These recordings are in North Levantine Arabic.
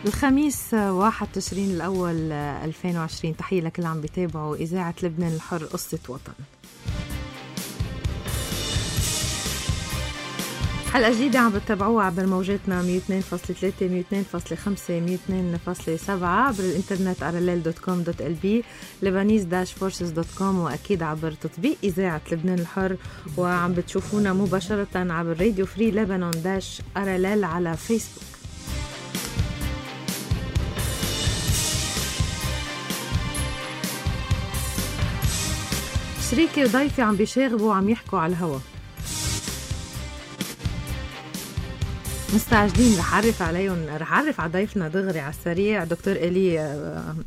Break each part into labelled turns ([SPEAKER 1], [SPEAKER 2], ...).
[SPEAKER 1] الخميس 1 تشرين الأول 2020. تحية لكل عم بيتابعوا إذاعة لبنان الحر قصة وطن. حلقة جديدة عم بتتابعوها عبر موجاتنا 102.3 102.5 102.7 عبر الانترنت rll.com.lb lebanese-forces.com وأكيد عبر تطبيق إذاعة لبنان الحر، وعم بتشوفونا مباشرة عبر راديو فري لبنان-RLL على فيسبوك. شريكي وضيفي عم بيشاغبوا وعم يحكوا على الهوا. مستعجلين. رح أعرف على ضيفنا دغري على السريع دكتور إلي.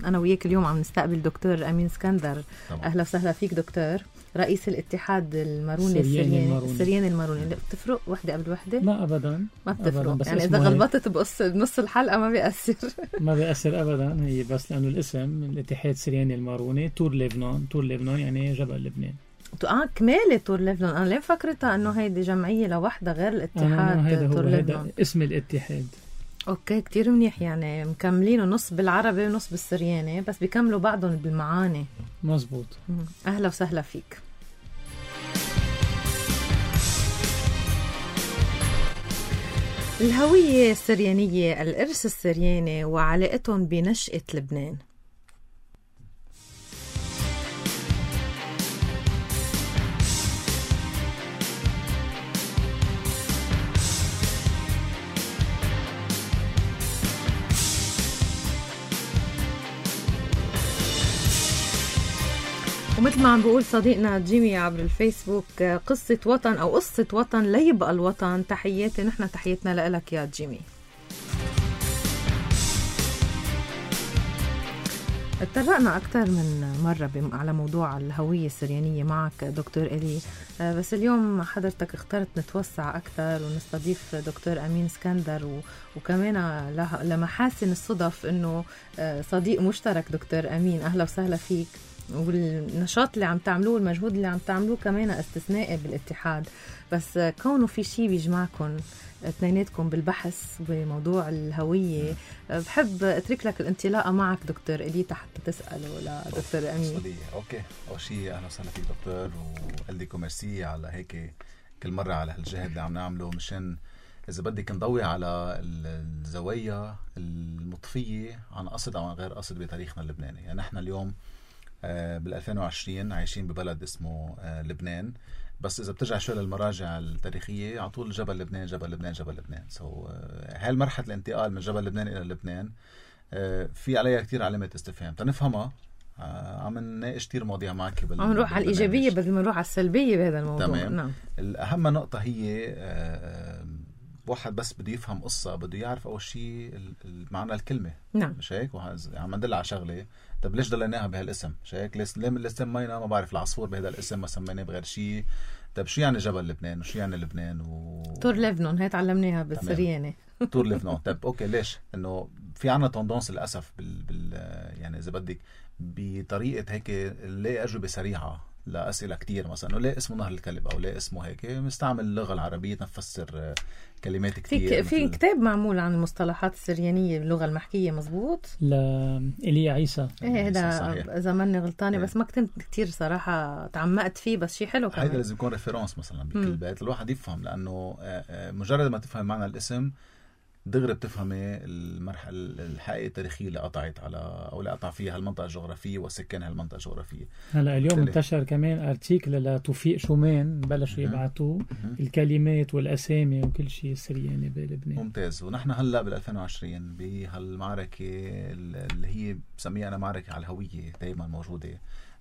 [SPEAKER 1] أنا وياك اليوم عم نستقبل دكتور أمين اسكندر. أهلا وسهلا فيك دكتور، رئيس الاتحاد الماروني السرياني الماروني. بتفرق وحدة قبل وحدة؟
[SPEAKER 2] لا أبدا،
[SPEAKER 1] ما بتفرق يعني إذا غلطت بنص الحلقة ما بيأثر. ما
[SPEAKER 2] بيأثر أبدا، هي بس لأنه الاسم الاتحاد السرياني الماروني تور لبنان يعني جبل لبنان.
[SPEAKER 1] كمالة تور لبنان. أنا ليه فكرتها أنه هيدي جمعية لوحدة غير الاتحاد تور لبنان.
[SPEAKER 2] هيدا اسم الاتحاد.
[SPEAKER 1] أوكي، كتير منيح. يعني مكملينه نص بالعربي ونص بالسرياني، بس بيكملوا بعضهم بالمعاني.
[SPEAKER 2] مزبوط.
[SPEAKER 1] أهلا وسهلا فيك. الهوية السريانية، الإرث السرياني وعلاقتهم بنشأة لبنان. ومثل ما عم بقول صديقنا جيمي عبر الفيسبوك، قصة وطن أو قصة وطن ليبقى الوطن. تحياتي نحن، تحياتنا لك يا جيمي. اتطرقنا أكثر من مرة على موضوع الهوية السريانية معك دكتور إلي، بس اليوم حضرتك اخترت نتوسع أكثر ونستضيف دكتور أمين اسكندر، وكمان لمحاسن الصدف إنه صديق مشترك دكتور أمين. أهلا وسهلا فيك. والنشاط اللي عم تعملوه، المجهود اللي عم تعملوه كمان استثنائي بالاتحاد، بس كونه في شيء بيجمعكم اثنيناتكم بالبحث بموضوع الهوية، بحب اترك لك الانطلاقة معك دكتور إلي حتى تسأله لدكتور أمين.
[SPEAKER 3] اوكي، اول شيء اهلا وسهلا فيك دكتور، وقال لكم ميرسي على هيك كل مرة على هالجهد اللي عم نعمله مشان إذا بدك نضوي على الزوايا المضفية عن قصد أو عن غير قصد بتاريخنا اللبناني. يعني نحن اليوم بال2020 عايشين ببلد اسمه لبنان، بس إذا بترجع شوي للمراجع التاريخية على طول جبل لبنان جبل لبنان جبل لبنان. هاي المرحلة الانتقال من جبل لبنان إلى لبنان في عليها كتير علامات استفهام تنفهمها. عم نناقش كتير مواضيع معك
[SPEAKER 1] عم نروح على الإيجابية بدل ما نروح على السلبية بهذا الموضوع.
[SPEAKER 3] تمام.
[SPEAKER 1] نعم.
[SPEAKER 3] الأهم نقطة هي واحد بس بده يفهم قصة بده يعرف أول شيء معنى الكلمة.
[SPEAKER 1] نعم.
[SPEAKER 3] مش هيك؟ عم ندل على شغلة. طب ليش دليناها بهالاسم؟ مش هيك؟ ليه سمينا ما بعرف العصفور بهذا الاسم ما سميناه بغير شيء؟ طب شو يعني جبل لبنان وشو يعني لبنان
[SPEAKER 1] تور لبنان هي تعلمناها بالسرياني.
[SPEAKER 3] تور لبنان. طب اوكي، ليش؟ انه في عنا تندونس للاسف يعني اذا بدك بطريقه هيك نلاقي اجوبه سريعه لاسئله كتير، مثلا ليه اسمه نهر الكلب او ليه اسمه هيك، مستعمل اللغه العربيه نفسر كلمات كتير.
[SPEAKER 1] في كتاب معمول عن المصطلحات السريانيه باللغه المحكيه. مزبوط.
[SPEAKER 2] إيليا عيسى.
[SPEAKER 1] ايه هذا اذا ماني غلطانه، بس ما كنت كتير صراحه تعمقت فيه، بس شيء حلو كمان.
[SPEAKER 3] هذا لازم يكون ريفيرنس مثلا بكل بيت الواحد يفهم، لانه مجرد ما تفهم معنى الاسم دغري بتفهمي المرحلة الحقيقة التاريخية اللي قطعت على أو اللي قطع فيها المنطقة الجغرافية وسكان هالمنطقة الجغرافية.
[SPEAKER 2] هلا اليوم انتشر كمان ارتيكل لتوفيق شومان بلشوا يبعثوا الكلمات والأسامي وكل شيء سرياني بلبنان.
[SPEAKER 3] ممتاز. ونحن هلا بال2020 بهالمعركة اللي هي بسميها أنا معركة على الهوية دايما موجودة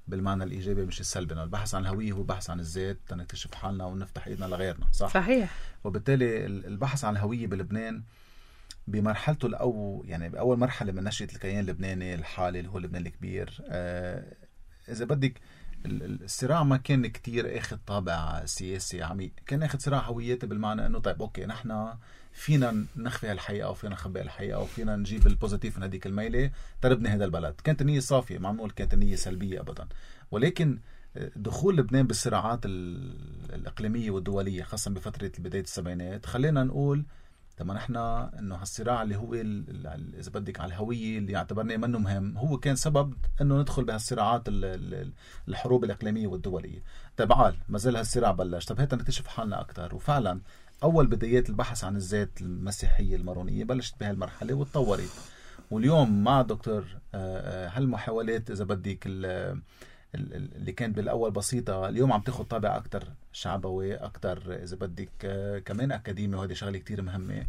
[SPEAKER 3] بالمعنى الإيجابي مش السلبي. البحث عن الهوية هو بحث عن الذات تنكتشف حالنا ونفتح إيدنا لغيرنا.
[SPEAKER 1] صحيح.
[SPEAKER 3] وبالتالي البحث عن الهوية بلبنان بمرحلته يعني بأول مرحلة من نشأة الكيان اللبناني الحالي اللي هو لبنان الكبير، إذا بدك الصراع ما كان كتير اخذ طابع سياسي عميق، كان اخذ صراع هوياتي بالمعنى انه طيب اوكي نحن فينا نخفي هالحقيقة وفينا نخبي الحقيقة وفينا نجيب البوزيتيف من هذيك الميلة تربني هذا البلد. كانت النية صافية، ما نقول كانت النية سلبية أبدا، ولكن دخول لبنان بالصراعات الإقليمية والدولية خاصة بفترة بداية السبعينات خلينا نقول لما نحن انه هالصراع اللي هو اذا بدك على الهويه اللي اعتبرناه منه مهم، هو كان سبب انه ندخل بهالصراعات الحروب الاقليميه والدوليه. طيب ما زال هالصراع بلش، طب هيك نكتشف حالنا اكثر. وفعلا اول بدايات البحث عن الذات المسيحيه المارونيه بلشت بهالمرحله وتطورت. واليوم مع دكتور هالمحاولات اذا بدك اللي كانت بالاول بسيطه، اليوم عم تاخذ طابع اكثر شعبوي، اكثر اذا بدك كمان اكاديمي، وهذه شغله كتير مهمه.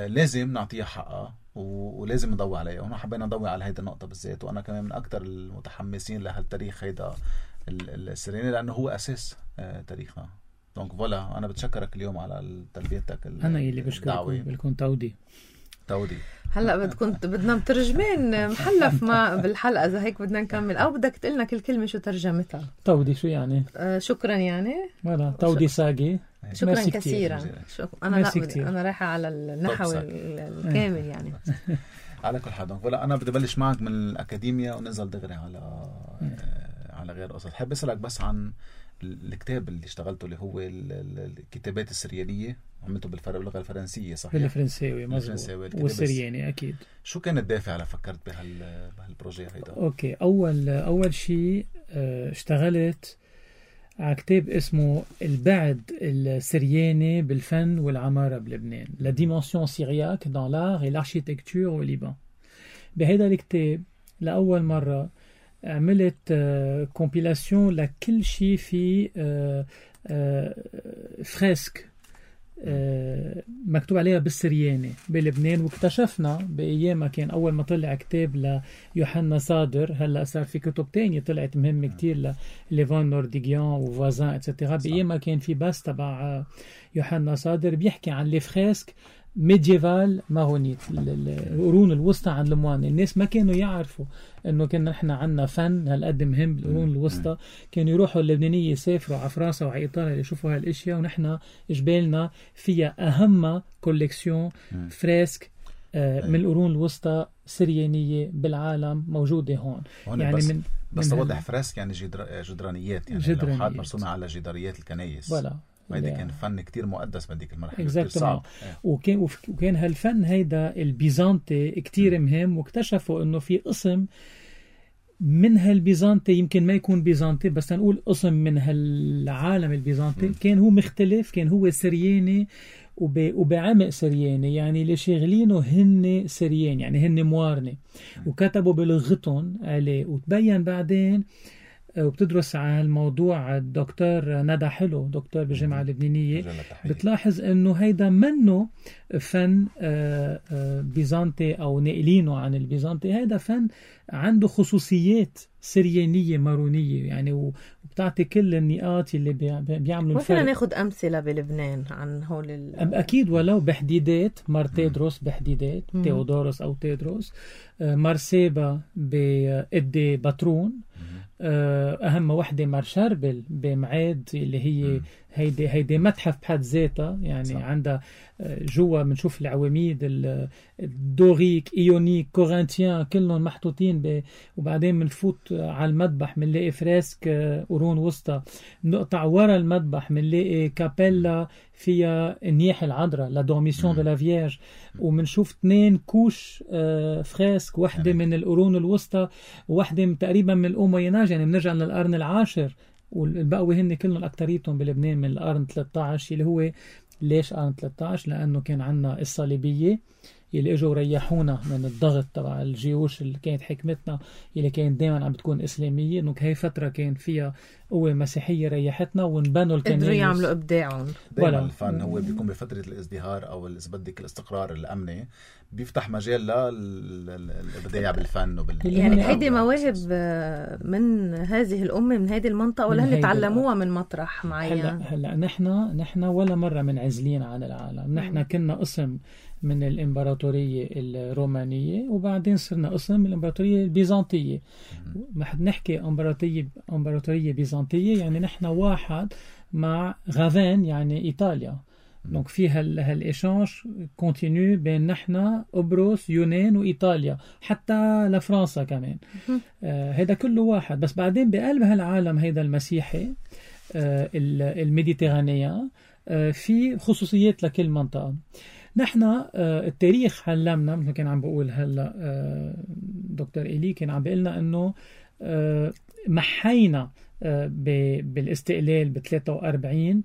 [SPEAKER 3] لازم نعطيها حقها ولازم نضوي عليها. وهنا حبينا نضوي على هيدا النقطه بالذات، وانا كمان من اكثر المتحمسين لهالتاريخ هيدا السرياني، لانه هو اساس تاريخنا. دونك فوالا، انا بتشكرك اليوم على تلبيتك.
[SPEAKER 2] انا اللي بشكركم لكم تودي.
[SPEAKER 1] هلا بدنا مترجمين محلف ما بالحلقه، اذا هيك بدنا نكمل، او بدك تقلنا كل كلمه شو ترجمتها؟
[SPEAKER 2] تودي شو يعني؟
[SPEAKER 1] شكرا يعني
[SPEAKER 2] ولا تودي ساقي.
[SPEAKER 1] شكرا كثيرا. انا رايحه على النحو الكامل يعني.
[SPEAKER 3] على كل حال ولا انا بدي ابلش معك من الاكاديميا وننزل دغري على غير قصص. حابب اسالك بس عن الكتاب اللي اشتغلته، اللي هو الكتابات السريانيه، عملته باللغه الفرنسيه صحيح؟
[SPEAKER 2] بالفرنساوي مظبوط، والسرياني اكيد.
[SPEAKER 3] شو كان الدافع لفكرت بهالبروجي هيدا؟
[SPEAKER 2] اوكي، اول شيء اشتغلت على كتاب اسمه البعد السرياني بالفن والعماره بلبنان، La dimension syriaque dans l'art et l'architecture au Liban. بهذا الكتاب لاول مره عملت كومبيلاسيون لكل شيء في فريسك مكتوب عليها بالسرياني بلبنان. واكتشفنا بأيام كان أول ما طلع كتاب ليوحنا صادر، هلأ صار في كتب تانية طلعت مهمة كتير لليفان نورديغيان وفوازان اتسترا. بأيام كان في بس تبع يوحنا صادر بيحكي عن الفريسك ميديفال مارونيت، القرون الوسطى عن الموان. الناس ما كانوا يعرفوا انه كنا نحن عنا فن هالقد مهم بالقرون الوسطى. كانوا يروحوا اللبنانية يسافروا على فرنسا وعلى ايطاليا يشوفوا هالاشياء، ونحن جبالنا فيها اهم كوليكسيون فريسك من القرون الوسطى سريانية بالعالم موجودة هون. يعني
[SPEAKER 3] بس توضح فريسك يعني جدرانيات، يعني لوحات مرسومة على جداريات الكنائس. هيدا كان فن كتير مقدس بديك المرحلة، كتير صعب.
[SPEAKER 2] وكان هالفن هيدا البيزنطي كتير مهم. واكتشفوا انه في قسم من هالبيزنطي يمكن ما يكون بيزنطي، بس نقول قسم من هالعالم البيزنطي كان هو مختلف، كان هو سرياني وبعمق سرياني، يعني اللي شاغلينه هن سريان، يعني هن موارنة، وكتبوا بلغتهم عليه. وتبين بعدين وبتدرس على الموضوع الدكتور ندى حلو، دكتور بالجامعة اللبنانية، بتلاحظ انه هيدا منه فن بيزنطي او ناقلينه عن البيزنطي، هيدا فن عنده خصوصيات سريانية مارونية يعني، وبتعطي كل النقاط اللي بيعملوا الفرق.
[SPEAKER 1] ممكن ناخد أمثلة بلبنان عن هول
[SPEAKER 2] أكيد، ولو بحديدات مار تيدروس بحديدات، تيودوروس أو تيدروس، مارسيبا بإدي باترون، أهم وحدة مار شربل بمعاد اللي هي هيدي متحف بحد ذاتها يعني. صح. عندها جوا بنشوف العواميد الدوريك ايونيك كورنثيان كلهم محطوطين وبعدين بنفوت على المذبح بنلاقي فريسك قرون وسطى. نقطع ورا المذبح بنلاقي كابيلا فيها النياح العذراء لا دورميسيون دو لا فيرج، وبنشوف 2 كوش فريسك، واحدة من القرون الوسطى وواحدة تقريبا من الأومويناج، يعني بنرجع للقرن العاشر. والبقوة هن كلهم أكتريتهم بلبنان من القرن 13، اللي هو ليش قرن 13؟ لأنه كان عنا الصليبية اللي اجوا ريحونا من الضغط تبع الجيوش اللي كانت حكمتنا اللي كانت دائما عم بتكون إسلامية. انه هي فترة كان فيها قوة مسيحية ريحتنا ونبنوا الكنائس،
[SPEAKER 1] قدروا يعملوا إبداعهم.
[SPEAKER 3] دائما الفن هو بيكون بفترة الازدهار أو إذا بدك الاستقرار الأمني، بيفتح مجال للإبداع بالفن
[SPEAKER 1] يعني هيدي مواهب من هذه الأمة من هذه المنطقة، ولا هل تعلموها من مطرح معين؟
[SPEAKER 2] هلا نحن ولا مرة منعزلين عن العالم. نحن كنا قسم من الإمبراطورية الرومانية، وبعدين صرنا قسم من الإمبراطورية البيزنطية. نحكي إمبراطورية بيزنطية يعني نحن واحد مع غافين يعني إيطاليا. دونك في هالإيشانج كونتينيو بين نحن قبرص يونان وإيطاليا حتى لفرنسا كمان. هذا كله واحد. بس بعدين بقلب هالعالم هيدا المسيحي الميديترانيا في خصوصيات لكل منطقة. نحن التاريخ علمنا، مثل كان عم بقول هلا دكتور إيلي كان عم بيقلنا انه محينا بالاستقلال ب 43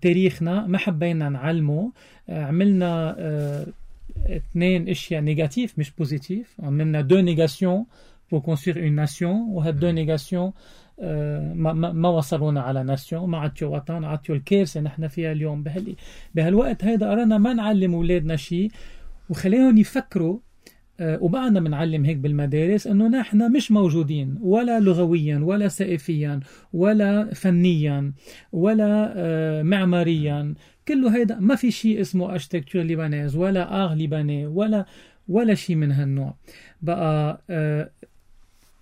[SPEAKER 2] تاريخنا، ما حبينا نعلمه، عملنا 2 اشياء نيجاتيف مش بوزيتيف، عملنا 2 نيجاسيون pour construire une nation، وهاد 2 نيجاسيون ما وصلونا على ناسيون، ما عطيو وطن، عطيو الكارثة نحن فيها اليوم. بهالوقت هيدا قررنا ما نعلم أولادنا شيء وخليهم يفكروا، وبعدنا بنعلم هيك بالمدارس انه نحن مش موجودين ولا لغويا ولا ثقافيا ولا فنيا ولا معماريا، كله هيدا ما في شيء اسمه اركتيكتور ليبانيز ولا اغ ليباني ولا شيء من هالنوع. بقى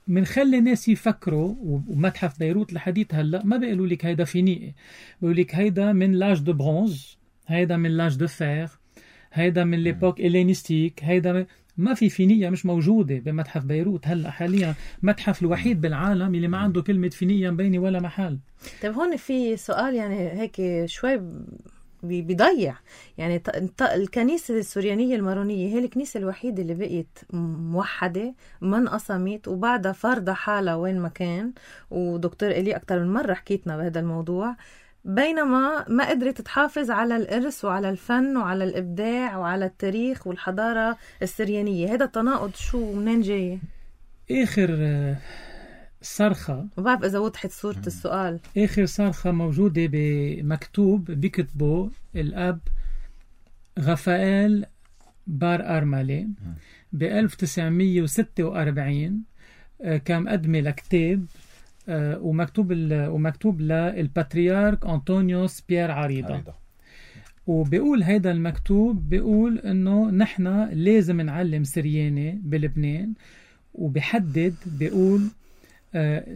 [SPEAKER 2] منخلي الناس يفكروا، ومتحف بيروت لحديث هلا ما بيقولوا لك هيدا فينيقي، بيقولوا لك هيدا من لاج دو برونز، هيدا من لاج دو فير، هيدا من ليبوك إلينيستيك، هيدا ما في فينيقيا مش موجودة بمتحف بيروت هلا حاليا، متحف الوحيد بالعالم اللي ما عنده كلمة فينيقيا مبينة ولا محل.
[SPEAKER 1] طيب هون في سؤال يعني هيك شوي بيضيع، يعني الكنيسة السريانية المارونية هي الكنيسة الوحيدة اللي بقيت موحدة ما انقسمت وبعدها فارضة حالها وين ما كان، ودكتور إلي أكتر من مرة حكيتنا بهذا الموضوع، بينما ما قدرت تحافظ على الإرث وعلى الفن وعلى الإبداع وعلى التاريخ والحضارة السريانية. هذا التناقض شو منين جاي؟
[SPEAKER 2] آخر صرخة،
[SPEAKER 1] ما بعرف إذا وضحت صورة السؤال،
[SPEAKER 2] آخر صرخة موجودة بمكتوب بكتبه الأب غفائيل بار أرملي ب 1946، كان مقدمة لكتاب ومكتوب للباتريارك أنطونيوس بيير عريضة. وبيقول هيدا المكتوب بيقول انه نحن لازم نعلم سرياني بلبنان، وبحدد بيقول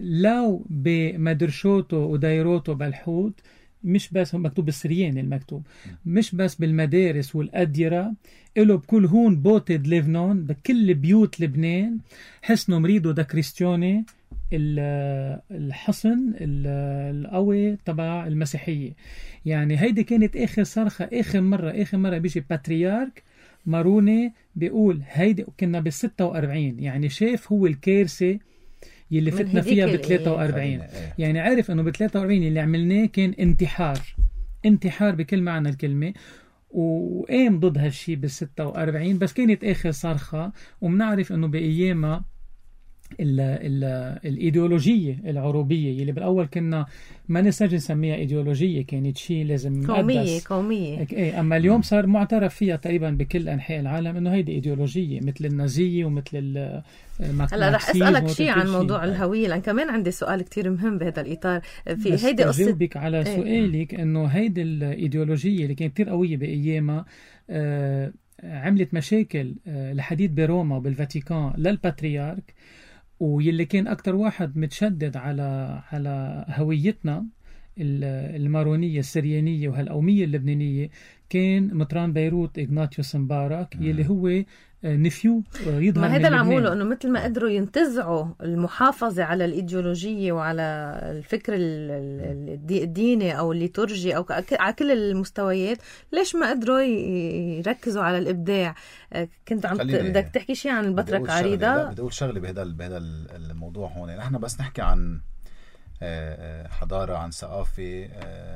[SPEAKER 2] لو بمدرشوتو ودايروتو بالحوت، مش بس مكتوب بالسرياني، المكتوب مش بس بالمدارس والأديرة، إله بكل هون بوتد ليفنون بكل بيوت لبنان، حسنوا مريدو دا كريستيوني الحصن القوي تبع المسيحية. يعني هيدي كانت آخر صرخة، آخر مرة بيجي باتريارك ماروني بيقول هيدي، كنا بال46، يعني شاف هو الكارثة يلي فتنا فيها ب43، يعني عارف انه ب43 اللي عملناه كان انتحار بكل معنى الكلمة، وقام ضد هالشي بال46، بس كانت آخر صرخة. ومنعرف انه بأيامها الإيديولوجية العروبية اللي بالأول كنا ما نستجي نسميها إيديولوجية، كانت شيء لازم
[SPEAKER 1] قومية.
[SPEAKER 2] أما اليوم صار معترف فيها تقريبا بكل أنحاء العالم إنه هيدي إيديولوجية مثل النازية ومثل
[SPEAKER 1] هلا رح أسألك شيء عن موضوع الهوية، لأن كمان عندي سؤال كتير مهم بهذا الإطار. في هيدي قصة
[SPEAKER 2] جاوبك على سؤالك إنه هيدي الإيديولوجية اللي كانت كتير قوية بأيامها عملت مشاكل لحديد بروما وبالفاتيكان للباتريارك، ويلي كان أكتر واحد متشدد على هويتنا المارونية السريانية وهالقومية اللبنانية كان مطران بيروت إغناطيوس مبارك، يلي هو نفيو يظهر
[SPEAKER 1] ما هذا اللي عموله انه مثل ما قدروا ينتزعوا المحافظة على الإيديولوجية وعلى الفكر الديني او الليتورجي او على كل المستويات، ليش ما قدروا يركزوا على الإبداع؟ كنت عم بدك تحكي شيء عن البطرك عريضة.
[SPEAKER 3] بدي اقول شغله بهذا الموضوع هون. نحن بس نحكي عن حضارة، عن ثقافة،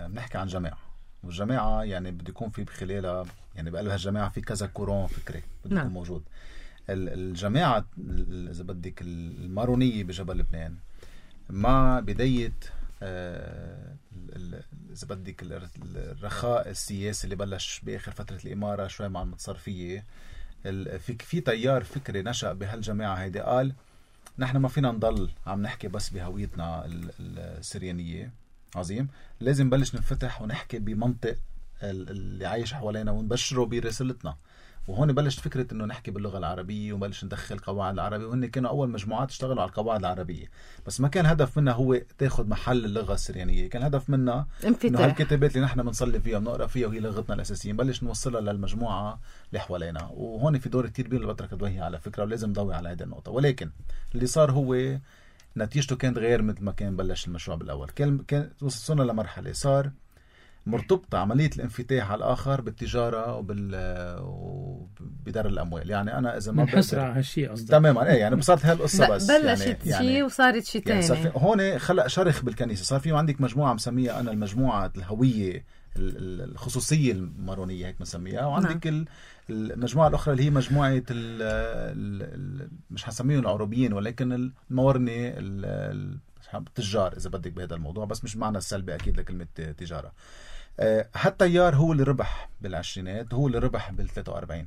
[SPEAKER 3] بنحكي عن جماعة، والجماعة يعني بده يكون في بخلالها، يعني بقلبها الجماعة في كذا كورون فكري بده يكون موجود. الجماعة إذا بدك المارونية بجبل لبنان مع بداية إذا بدك الرخاء السياسي اللي بلش بآخر فترة الإمارة شوي مع المتصرفية، في تيار فكري نشأ بهالجماعة هيدي قال نحن ما فينا نضل عم نحكي بس بهويتنا السريانية، عظيم، لازم بلش نفتح ونحكي بمنطق اللي عايش حوالينا ونبشره برسالتنا. وهون بلشت فكرة انه نحكي باللغة العربية وبلش ندخل قواعد العربية، وهن كانوا اول مجموعات اشتغلوا على القواعد العربية، بس ما كان هدف منها هو تاخد محل اللغة السريانية، كان هدف منها انه هالكتابات اللي نحن بنصلي فيها ونقرأ فيها وهي لغتنا الأساسية نبلش نوصلها للمجموعة اللي حوالينا. وهون في دور كتير كبير للبطرك دوية على فكرة، ولازم نضوي على هذه النقطة. ولكن اللي صار هو نتيجته كانت غير مثل ما كان بلش المشروع بالأول. كان وصلنا لمرحلة صار مرتبطة عملية الانفتاح على الآخر بالتجارة وبدار الأموال. يعني أنا إذا ما
[SPEAKER 2] منحصر على هالشيء قصدك.
[SPEAKER 3] تماما إيه، يعني بصارت هالقصة بس
[SPEAKER 1] بلشت شيء وصارت شيء تاني.
[SPEAKER 3] يعني هون خلق شرخ بالكنيسة. صار في عندك مجموعة مسميها أنا المجموعة الهوية الخصوصية المارونية هيك مسميها، وعندك المجموعة الأخرى اللي هي مجموعة مش هنسميهم العربيين ولكن المورنة التجار إذا بدك بهذا الموضوع، بس مش معنى السلبي أكيد لكلمة تجارة. هالتيار هو اللي ربح بالعشرينات، هو اللي ربح بال43.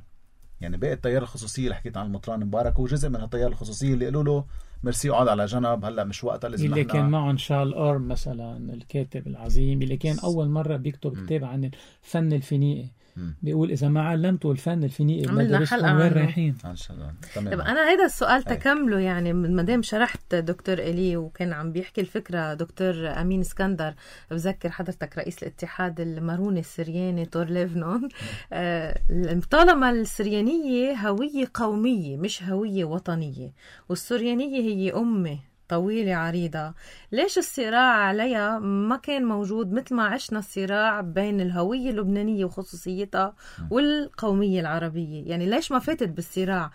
[SPEAKER 3] يعني باقي التيار الخصوصية اللي حكيت عن المطران مبارك هو جزء من هالتيار الخصوصية اللي قالوا له ميرسي اقعد على جنب، هلا مش وقتها لازم
[SPEAKER 2] اللي كان معهم شارل أورم مثلا الكاتب العظيم اللي كان أول مرة بيكتب كتاب عن الفن الفينيقي. بيقول إذا ما علمتوا الفن الفينيقي ما درستوا وين رايحين.
[SPEAKER 1] طب أنا هيدا السؤال تكمله، يعني مادام شرحت دكتور إلي وكان عم بيحكي الفكرة دكتور أمين اسكندر، بذكر حضرتك رئيس الاتحاد الماروني السرياني تور ليفنون. طالما السريانية هوية قومية مش هوية وطنية، والسريانية هي أمة طويلة عريضة، ليش الصراع عليها ما كان موجود مثل ما عشنا الصراع بين الهوية اللبنانية وخصوصيتها والقومية العربية؟ يعني ليش ما فاتت بالصراع؟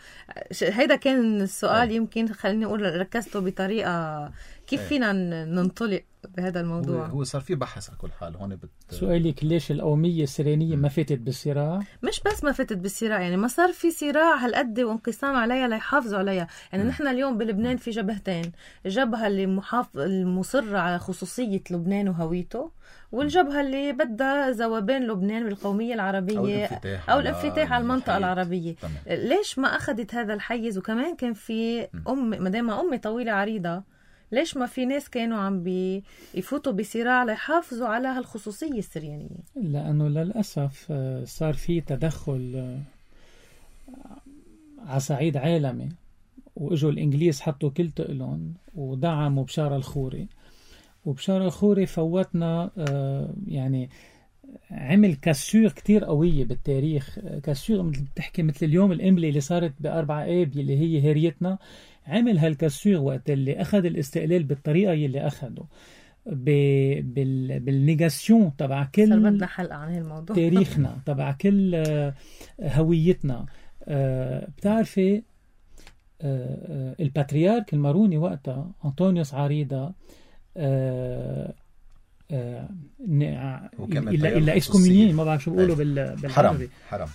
[SPEAKER 1] هيدا كان السؤال. يمكن خليني أقول ركزته بطريقة كيف فينا ننطلق بهذا الموضوع.
[SPEAKER 3] هو صار في بحث على كل حال هون.
[SPEAKER 2] سؤالك ليش القومية السريانية ما فاتت بالصراع؟
[SPEAKER 1] مش بس ما فاتت بالصراع، يعني ما صار في صراع هالقد وانقسام عليها ليحافظوا عليها. يعني نحن اليوم بلبنان في جبهتين، الجبهة اللي المصرة على خصوصية لبنان وهويته، والجبهة اللي بدها ذوبان لبنان بالقومية العربية أو الانفتاح على المنطقة العربية. ليش ما أخذت هذا الحيز؟ وكمان كان في مدام أمي طويلة عريضة، ليش ما في ناس كانوا عم يفوتوا بصراع ليحافظوا على هالخصوصية السريانية؟
[SPEAKER 2] لأنه للأسف صار في تدخل على صعيد عالمي، وإجوا الإنجليز حطوا كل تقلهم ودعموا بشار الخوري، وبشار الخوري فوتنا يعني عمل كسور كتير قوية بالتاريخ. كسور بتحكي مثل اليوم الإملي اللي صارت ب4 آب اللي هي هريتنا، عمل هالكسور وقت اللي أخذ الاستقلال بالطريقة اللي أخده بالنيغاسيون تبع كل
[SPEAKER 1] بدنا حلقة عن هالموضوع
[SPEAKER 2] تاريخنا تبع كل هويتنا. بتعرفي الباتريارك الماروني وقتها أنطونيوس عريضة إلا إسكومينيه، ما بعرف شو بقولوا بالعربي،
[SPEAKER 3] حرام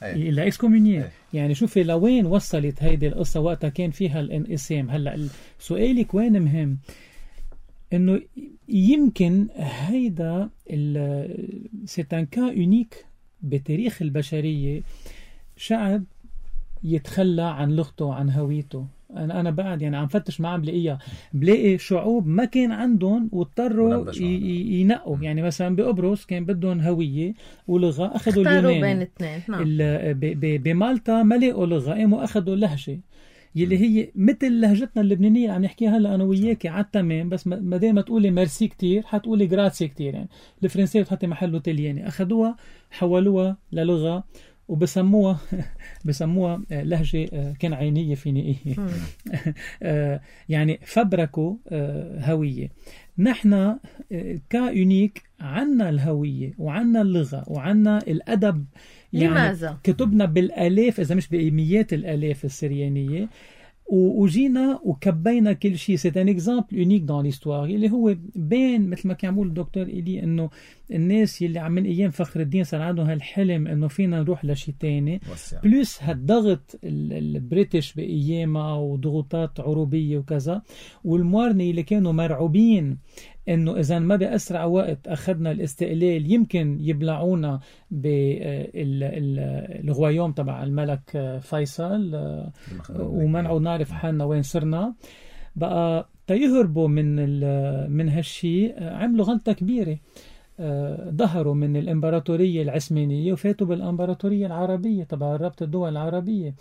[SPEAKER 2] إلا إسكومينيه. يعني شوفي لوين وصلت هيدي القصة وقتها كان فيها الانقسام. هلأ سؤالك وين مهم، إنه يمكن هيدا سيتان كا يونيك بتاريخ البشرية، شعب يتخلى عن لغته وعن هويته. أنا بعد يعني عم فتش ما عم بلاقي شعوب ما كان عندهم واضطروا ينقوا. يعني مثلا بقبرص كان بدهم هوية ولغة، أخذوا اليوناني
[SPEAKER 1] بين اثنين.
[SPEAKER 2] بمالطا ما لقوا لغة، قاموا أخذوا لهجة يلي هي مثل لهجتنا اللبنانية عم نحكيها هلا أنا وياكي على التمام، بس ما دام تقولي ميرسي كتير حتقولي جراتسي كتير. يعني الفرنسية بتحطي محله تلياني، أخذوها حولوها للغة وبسموها لهجة كنعانية فينيقية. يعني فبركوا هوية. نحن كيونيك عنا الهوية وعنا اللغة وعنا الأدب. يعني
[SPEAKER 1] لماذا؟
[SPEAKER 2] كتبنا بالآلاف إذا مش بمئات الآلاف السريانية، وجينا وكبينا كل شيء. سي ان اكزامبل يونيك دون ليستوار اللي هو بين مثل ما كان يقول الدكتور إلي انه الناس اللي عم من ايام فخر الدين صار عندهم هالحلم انه فينا نروح لشيء تاني، بلس هالضغط البريتش بايامها وضغوطات عروبيه وكذا، والموارنه اللي كانوا مرعوبين انه اذا ما باسرع وقت اخذنا الاستقلال يمكن يبلعونا بالغويوم تبع الملك فيصل ومنعوا نعرف حالنا وين صرنا. بقى تيهربوا من هالشي عملوا غلطة كبيرة، ظهروا من الإمبراطورية العثمانية وفاتوا بالإمبراطورية العربية تبع رابطة الدول العربية.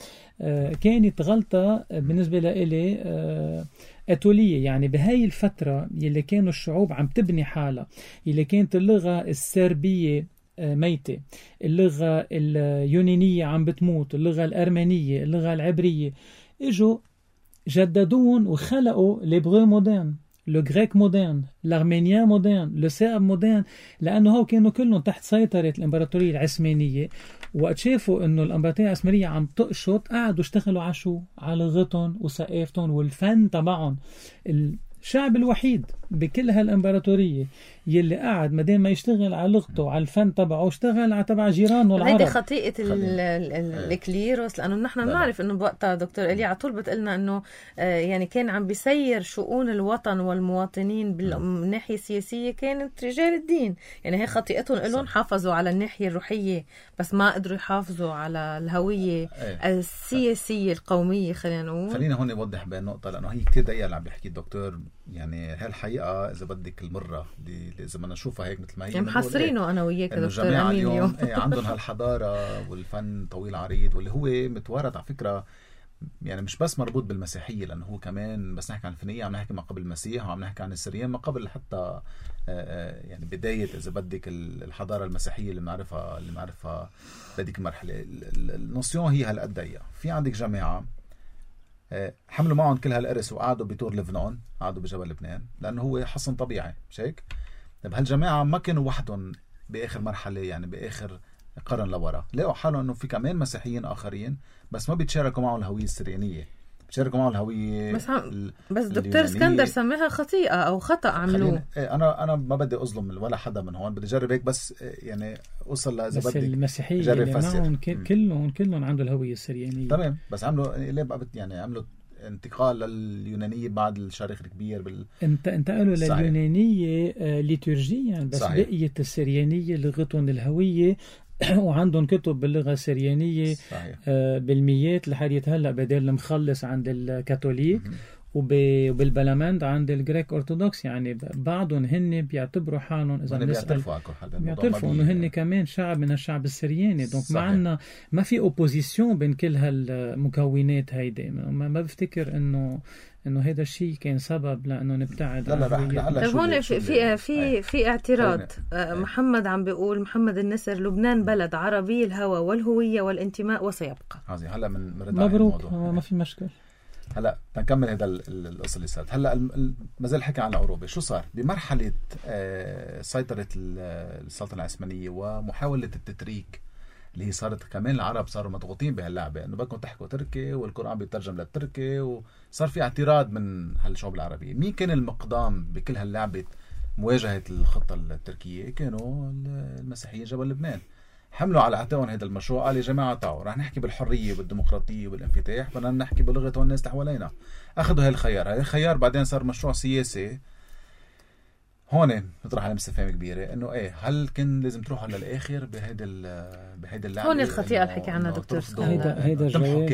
[SPEAKER 2] كانت غلطة بالنسبة لإلي أتولية. يعني بهاي الفترة يلي كانوا الشعوب عم تبني حالها، يلي كانت اللغة السربية ميتة، اللغة اليونانية عم بتموت، اللغة الأرمنية، اللغة العبرية، اجوا جددون وخلقوا ليبرو مودرن لو غريك مودرن، الارمينيان مودرن، لو سيرب مودرن، لانه هو كانوا كلهم تحت سيطره الامبراطوريه العثمانيه. وقت شافوا انه الامبراطوريه العثمانيه عم تقشط، قعدوا اشتغلوا على شو؟ على لغتهم وثقافتهم والفن تبعهم. الشعب الوحيد بكل هالامبراطوريه يلي قاعد مدام ما يشتغل على لغته وعلى الفن تبعه، اشتغل على تبع جيرانه العرب.
[SPEAKER 1] هيدي خطيئة الكليروس، لأنه نحن بنعرف إنه بوقتها دكتور إلي على طول بتقلنا إنه يعني كان عم بيسير شؤون الوطن والمواطنين بالناحية السياسية كانت رجال الدين. يعني هي خطيئتهم إلهم حافظوا على الناحية الروحية بس ما قدروا يحافظوا على الهوية السياسية القومية. خلينا
[SPEAKER 3] هون نوضح بهالنقطة، لأنه هي كتير دقيقة اللي عم بيحكي الدكتور. يعني هالحقيقة إذا بدك المرة إذا بدنا نشوفها هيك مثل ما هي،
[SPEAKER 1] يعني محصرينه أنا وياك دكتور أمين
[SPEAKER 3] اليوم عندهم هالحضارة والفن طويل عريض، واللي هو متوارث على فكرة. يعني مش بس مربوط بالمسيحية، لأنه هو كمان بس نحكي عن الفنية عم نحكي ما قبل المسيح، وعم نحكي عن السريان ما قبل حتى يعني بداية إذا بدك الحضارة المسيحية اللي بنعرفها بهذيك المرحلة. النوسيون هي هالقد ضيقة. في عندك جماعة حملوا معهم كل هالقرص وقعدوا بطور لبنان، قعدوا بجبل لبنان لأنه هو حصن طبيعي، مش هيك؟ طيب هالجماعة ما كانوا وحدهم بآخر مرحلة، يعني بآخر قرن لورا لقوا حالهم انه في كمان مسيحيين اخرين بس ما بيتشاركوا معهم الهويه السريانيه، بيتشاركوا معهم الهويه
[SPEAKER 1] بس دكتور اسكندر سماها خطيئه او خطا عملوه.
[SPEAKER 3] انا ما بدي اظلم ولا حدا من هون، بدي اجرب هيك بس يعني اوصل
[SPEAKER 2] بس المسيحيه اللي معهم كلهم عنده الهويه السريانيه.
[SPEAKER 3] تمام، بس عملوا يعني عملوا انتقال لليونانيه بعد الشرخ الكبير
[SPEAKER 2] انتقلوا لليونانيه ليتورجيا، بس صحيح. بقيه السريانيه لغتهم الهويه وعندهم كتب باللغة السريانية بالميات لحد هلأ بدل المخلص عند الكاثوليك وبالبلمند عند الجريك أرثوذكس. يعني بعضهم هن بيعتبروا حالهم إذا بيعترفوا إنه هن كمان شعب من الشعب السرياني. دونك معنا ما في أوبوزيسيون بين كل هالمكونات هيدي. ما بفتكر إنه هذا الشيء كان سبب لأنه نبتعد.
[SPEAKER 1] لا هون في اعتراض. محمد عم بيقول، محمد النسر، لبنان بلد عربي الهوى والهوية والانتماء وسيبقى.
[SPEAKER 3] هلا من
[SPEAKER 2] مبروك، ما في مشكلة.
[SPEAKER 3] هلا تنكمل هذا القصة اللي صارت. هلا ما زال حكي عن العروبة. شو صار بمرحلة سيطرة السلطنة العثمانية ومحاولة التتريك اللي هي صارت كمان العرب صاروا مضغوطين بهاللعبة انه بدكم تحكوا تركي والقرآن بيترجم للتركي، وصار في اعتراض من هالشعوب العربية. مين كان المقدام بكل هاللعبة مواجهة الخطة التركية؟ كانوا المسيحيين جبل لبنان. حملوا على عاتقهم هذا المشروع، قال يا جماعة تعالوا رح نحكي بالحرية والديمقراطية والانفتاح، بدنا نحكي بلغة الناس اللي حوالينا. اخذوا هالخيار بعدين صار مشروع سياسي. هون نطرح على استفهام كبيرة انه هل كان لازم تروحوا للاخر بهيدا اللعبة؟
[SPEAKER 1] هون الخطيئة اللي حكي عنها دكتور
[SPEAKER 2] هيدا الجواب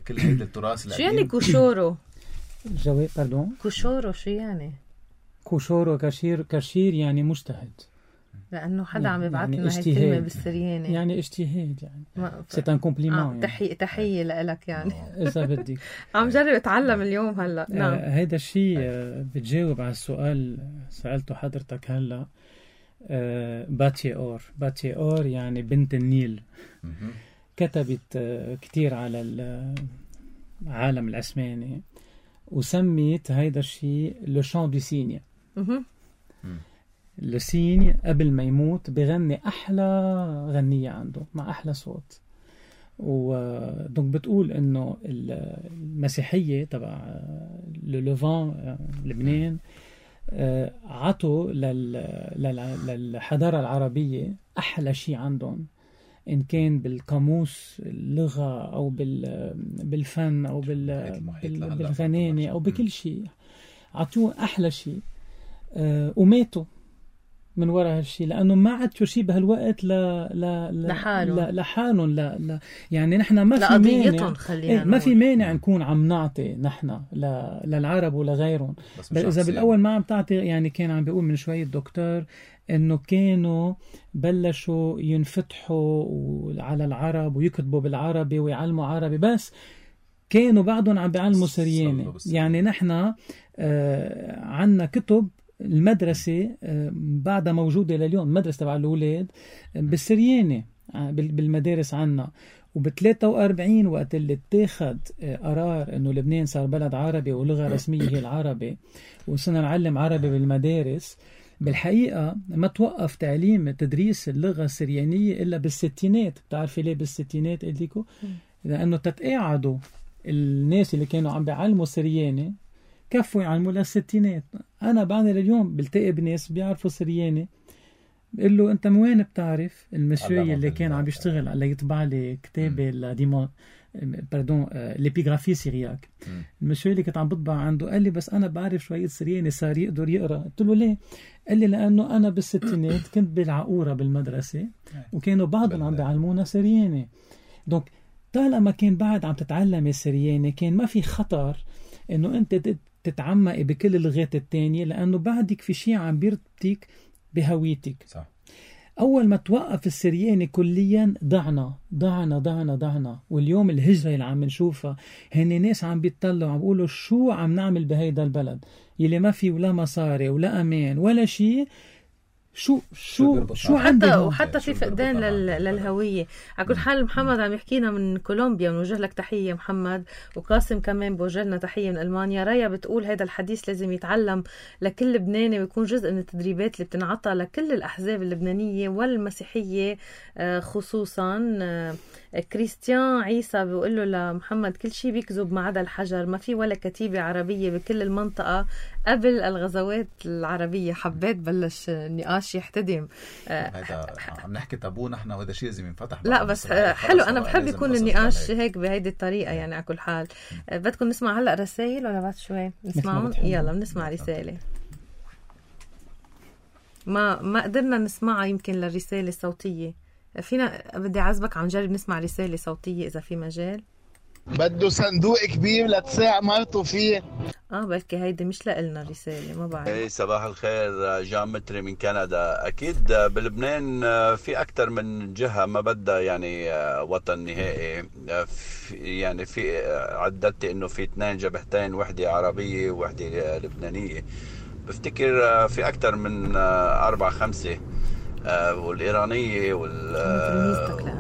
[SPEAKER 3] كل هيدا التراث
[SPEAKER 1] شو يعني كوشورو؟
[SPEAKER 2] الجواب باردون
[SPEAKER 1] كوشورو شو يعني؟
[SPEAKER 2] كوشورو كاشير يعني مجتهد،
[SPEAKER 1] لأنه حدا عم يبعث لنا هالكلمة بالسرياني.
[SPEAKER 2] يعني اجتهاد، يعني سيت ان كومبليمون.
[SPEAKER 1] تحية لك يعني
[SPEAKER 2] إذا بدك.
[SPEAKER 1] عم جرب اتعلم اليوم هلا. نعم.
[SPEAKER 2] هيدا الشيء بتجاوب على السؤال سألته حضرتك هلا. باتي اور يعني بنت النيل. كتبت كتير على العالم العثماني وسميت هيدا الشيء لو شان دو سيني. لسين قبل ما يموت بغني أحلى غنية عنده مع أحلى صوت. ودونك بتقول إنه المسيحية تبع للفان لبنان عطوا للحضارة العربية أحلى شيء عندهم، إن كان بالقاموس اللغة أو بالفن أو بالغنانة أو بكل شيء، عطوه أحلى شيء. وماتوا من وراء هالشيء لأنه ما عاد شيء بهالوقت لحالهم. لا يعني نحن ما في مانع، ما في مانع نكون عم نعطي نحن للعرب ولغيرهم. بس إذا بالأول ما عم تعطي، يعني كان عم بيقول من شوية الدكتور إنه كانوا بلشوا ينفتحوا على العرب ويكتبوا بالعربي ويعلموا عربي، بس كانوا بعضهم عم بيعلموا سرياني. يعني نحن عنا كتب المدرسة بعدها موجودة لليوم، المدرسة تبع الأولاد بالسرياني بالمدارس عنا، وب43 وقت اللي اتاخد قرار انه لبنان صار بلد عربي ولغة رسمية هي العربي وصرنا نعلم عربي بالمدارس، بالحقيقة ما توقف تعليم تدريس اللغة السريانية إلا بالستينات. بتعرفي ليه بالستينات إليكو؟ لأنه تتقاعدوا الناس اللي كانوا عم بيعلموا سرياني كفوا يعلموا للستينات. أنا بعد اليوم بلتقي بناس بيعرفوا سرياني بقول له أنت من وين بتعرف؟ المشوي اللي كان عم بيشتغل على يطبع لي كتابي ليبيغرافي سيرياك، المشوي اللي كنت عم بطبع عنده قال لي بس أنا بعرف شوية سرياني صار يقدر يقرأ. قلت له ليه؟ قال لي لأنه أنا بالستينات كنت بالعقورة بالمدرسة وكانوا بعضهم عم بيعلمونا سرياني. دونك طالما كان بعد عم تتعلم السرياني كان ما في خطر إنه أنت تتعمقي بكل اللغات التانية، لأنه بعدك في شيء عم بيربطك بهويتك.
[SPEAKER 3] صح.
[SPEAKER 2] أول ما توقف السرياني كليا ضعنا. واليوم الهجرة اللي عم نشوفها هن ناس عم بيطلعوا عم بيقولوا شو عم نعمل بهيدا البلد يلي ما في ولا مصاري ولا أمان ولا شيء، شو
[SPEAKER 1] وحتى في فقدان للهوية. على كل حال محمد عم يحكينا من كولومبيا، بنوجه لك تحية محمد، وقاسم كمان بوجه لنا تحية من ألمانيا. رايا بتقول هذا الحديث لازم يتعلم لكل لبناني ويكون جزء من التدريبات اللي بتنعطى لكل الأحزاب اللبنانية والمسيحية خصوصا. كريستيان عيسى بيقول له لمحمد كل شيء بيكذب ما عدا الحجر، ما في ولا كتيبة عربية بكل المنطقة قبل الغزوات العربية. حبيت بلش النقاش يحتدم.
[SPEAKER 3] هذا عم نحكي تابو نحن، وهذا شيء لازم ينفتح.
[SPEAKER 1] لا بس حلو، أنا بحب يكون النقاش هيك بهيدي الطريقة يعني. على كل حال بدكم نسمع هلأ رسائل ولا بعد شوي نسمعهم؟ يلا بنسمع رسالة ما قدرنا نسمعها يمكن للرسالة الصوتية. فينا بدي أعزبك عم نجرب نسمع رسالة صوتية إذا في مجال.
[SPEAKER 4] بده صندوق كبير لتساع مرته فيه.
[SPEAKER 1] بلكي هيدي مش لإلنا الرسالة، ما بعرف.
[SPEAKER 5] ايه صباح الخير، جان متري من كندا. اكيد بلبنان في اكثر من جهة ما بدها يعني وطن نهائي. يعني في عددت انه في 2 جبهتين، وحدة عربية ووحدة لبنانية. بفتكر في اكثر من 4-5، والإيرانية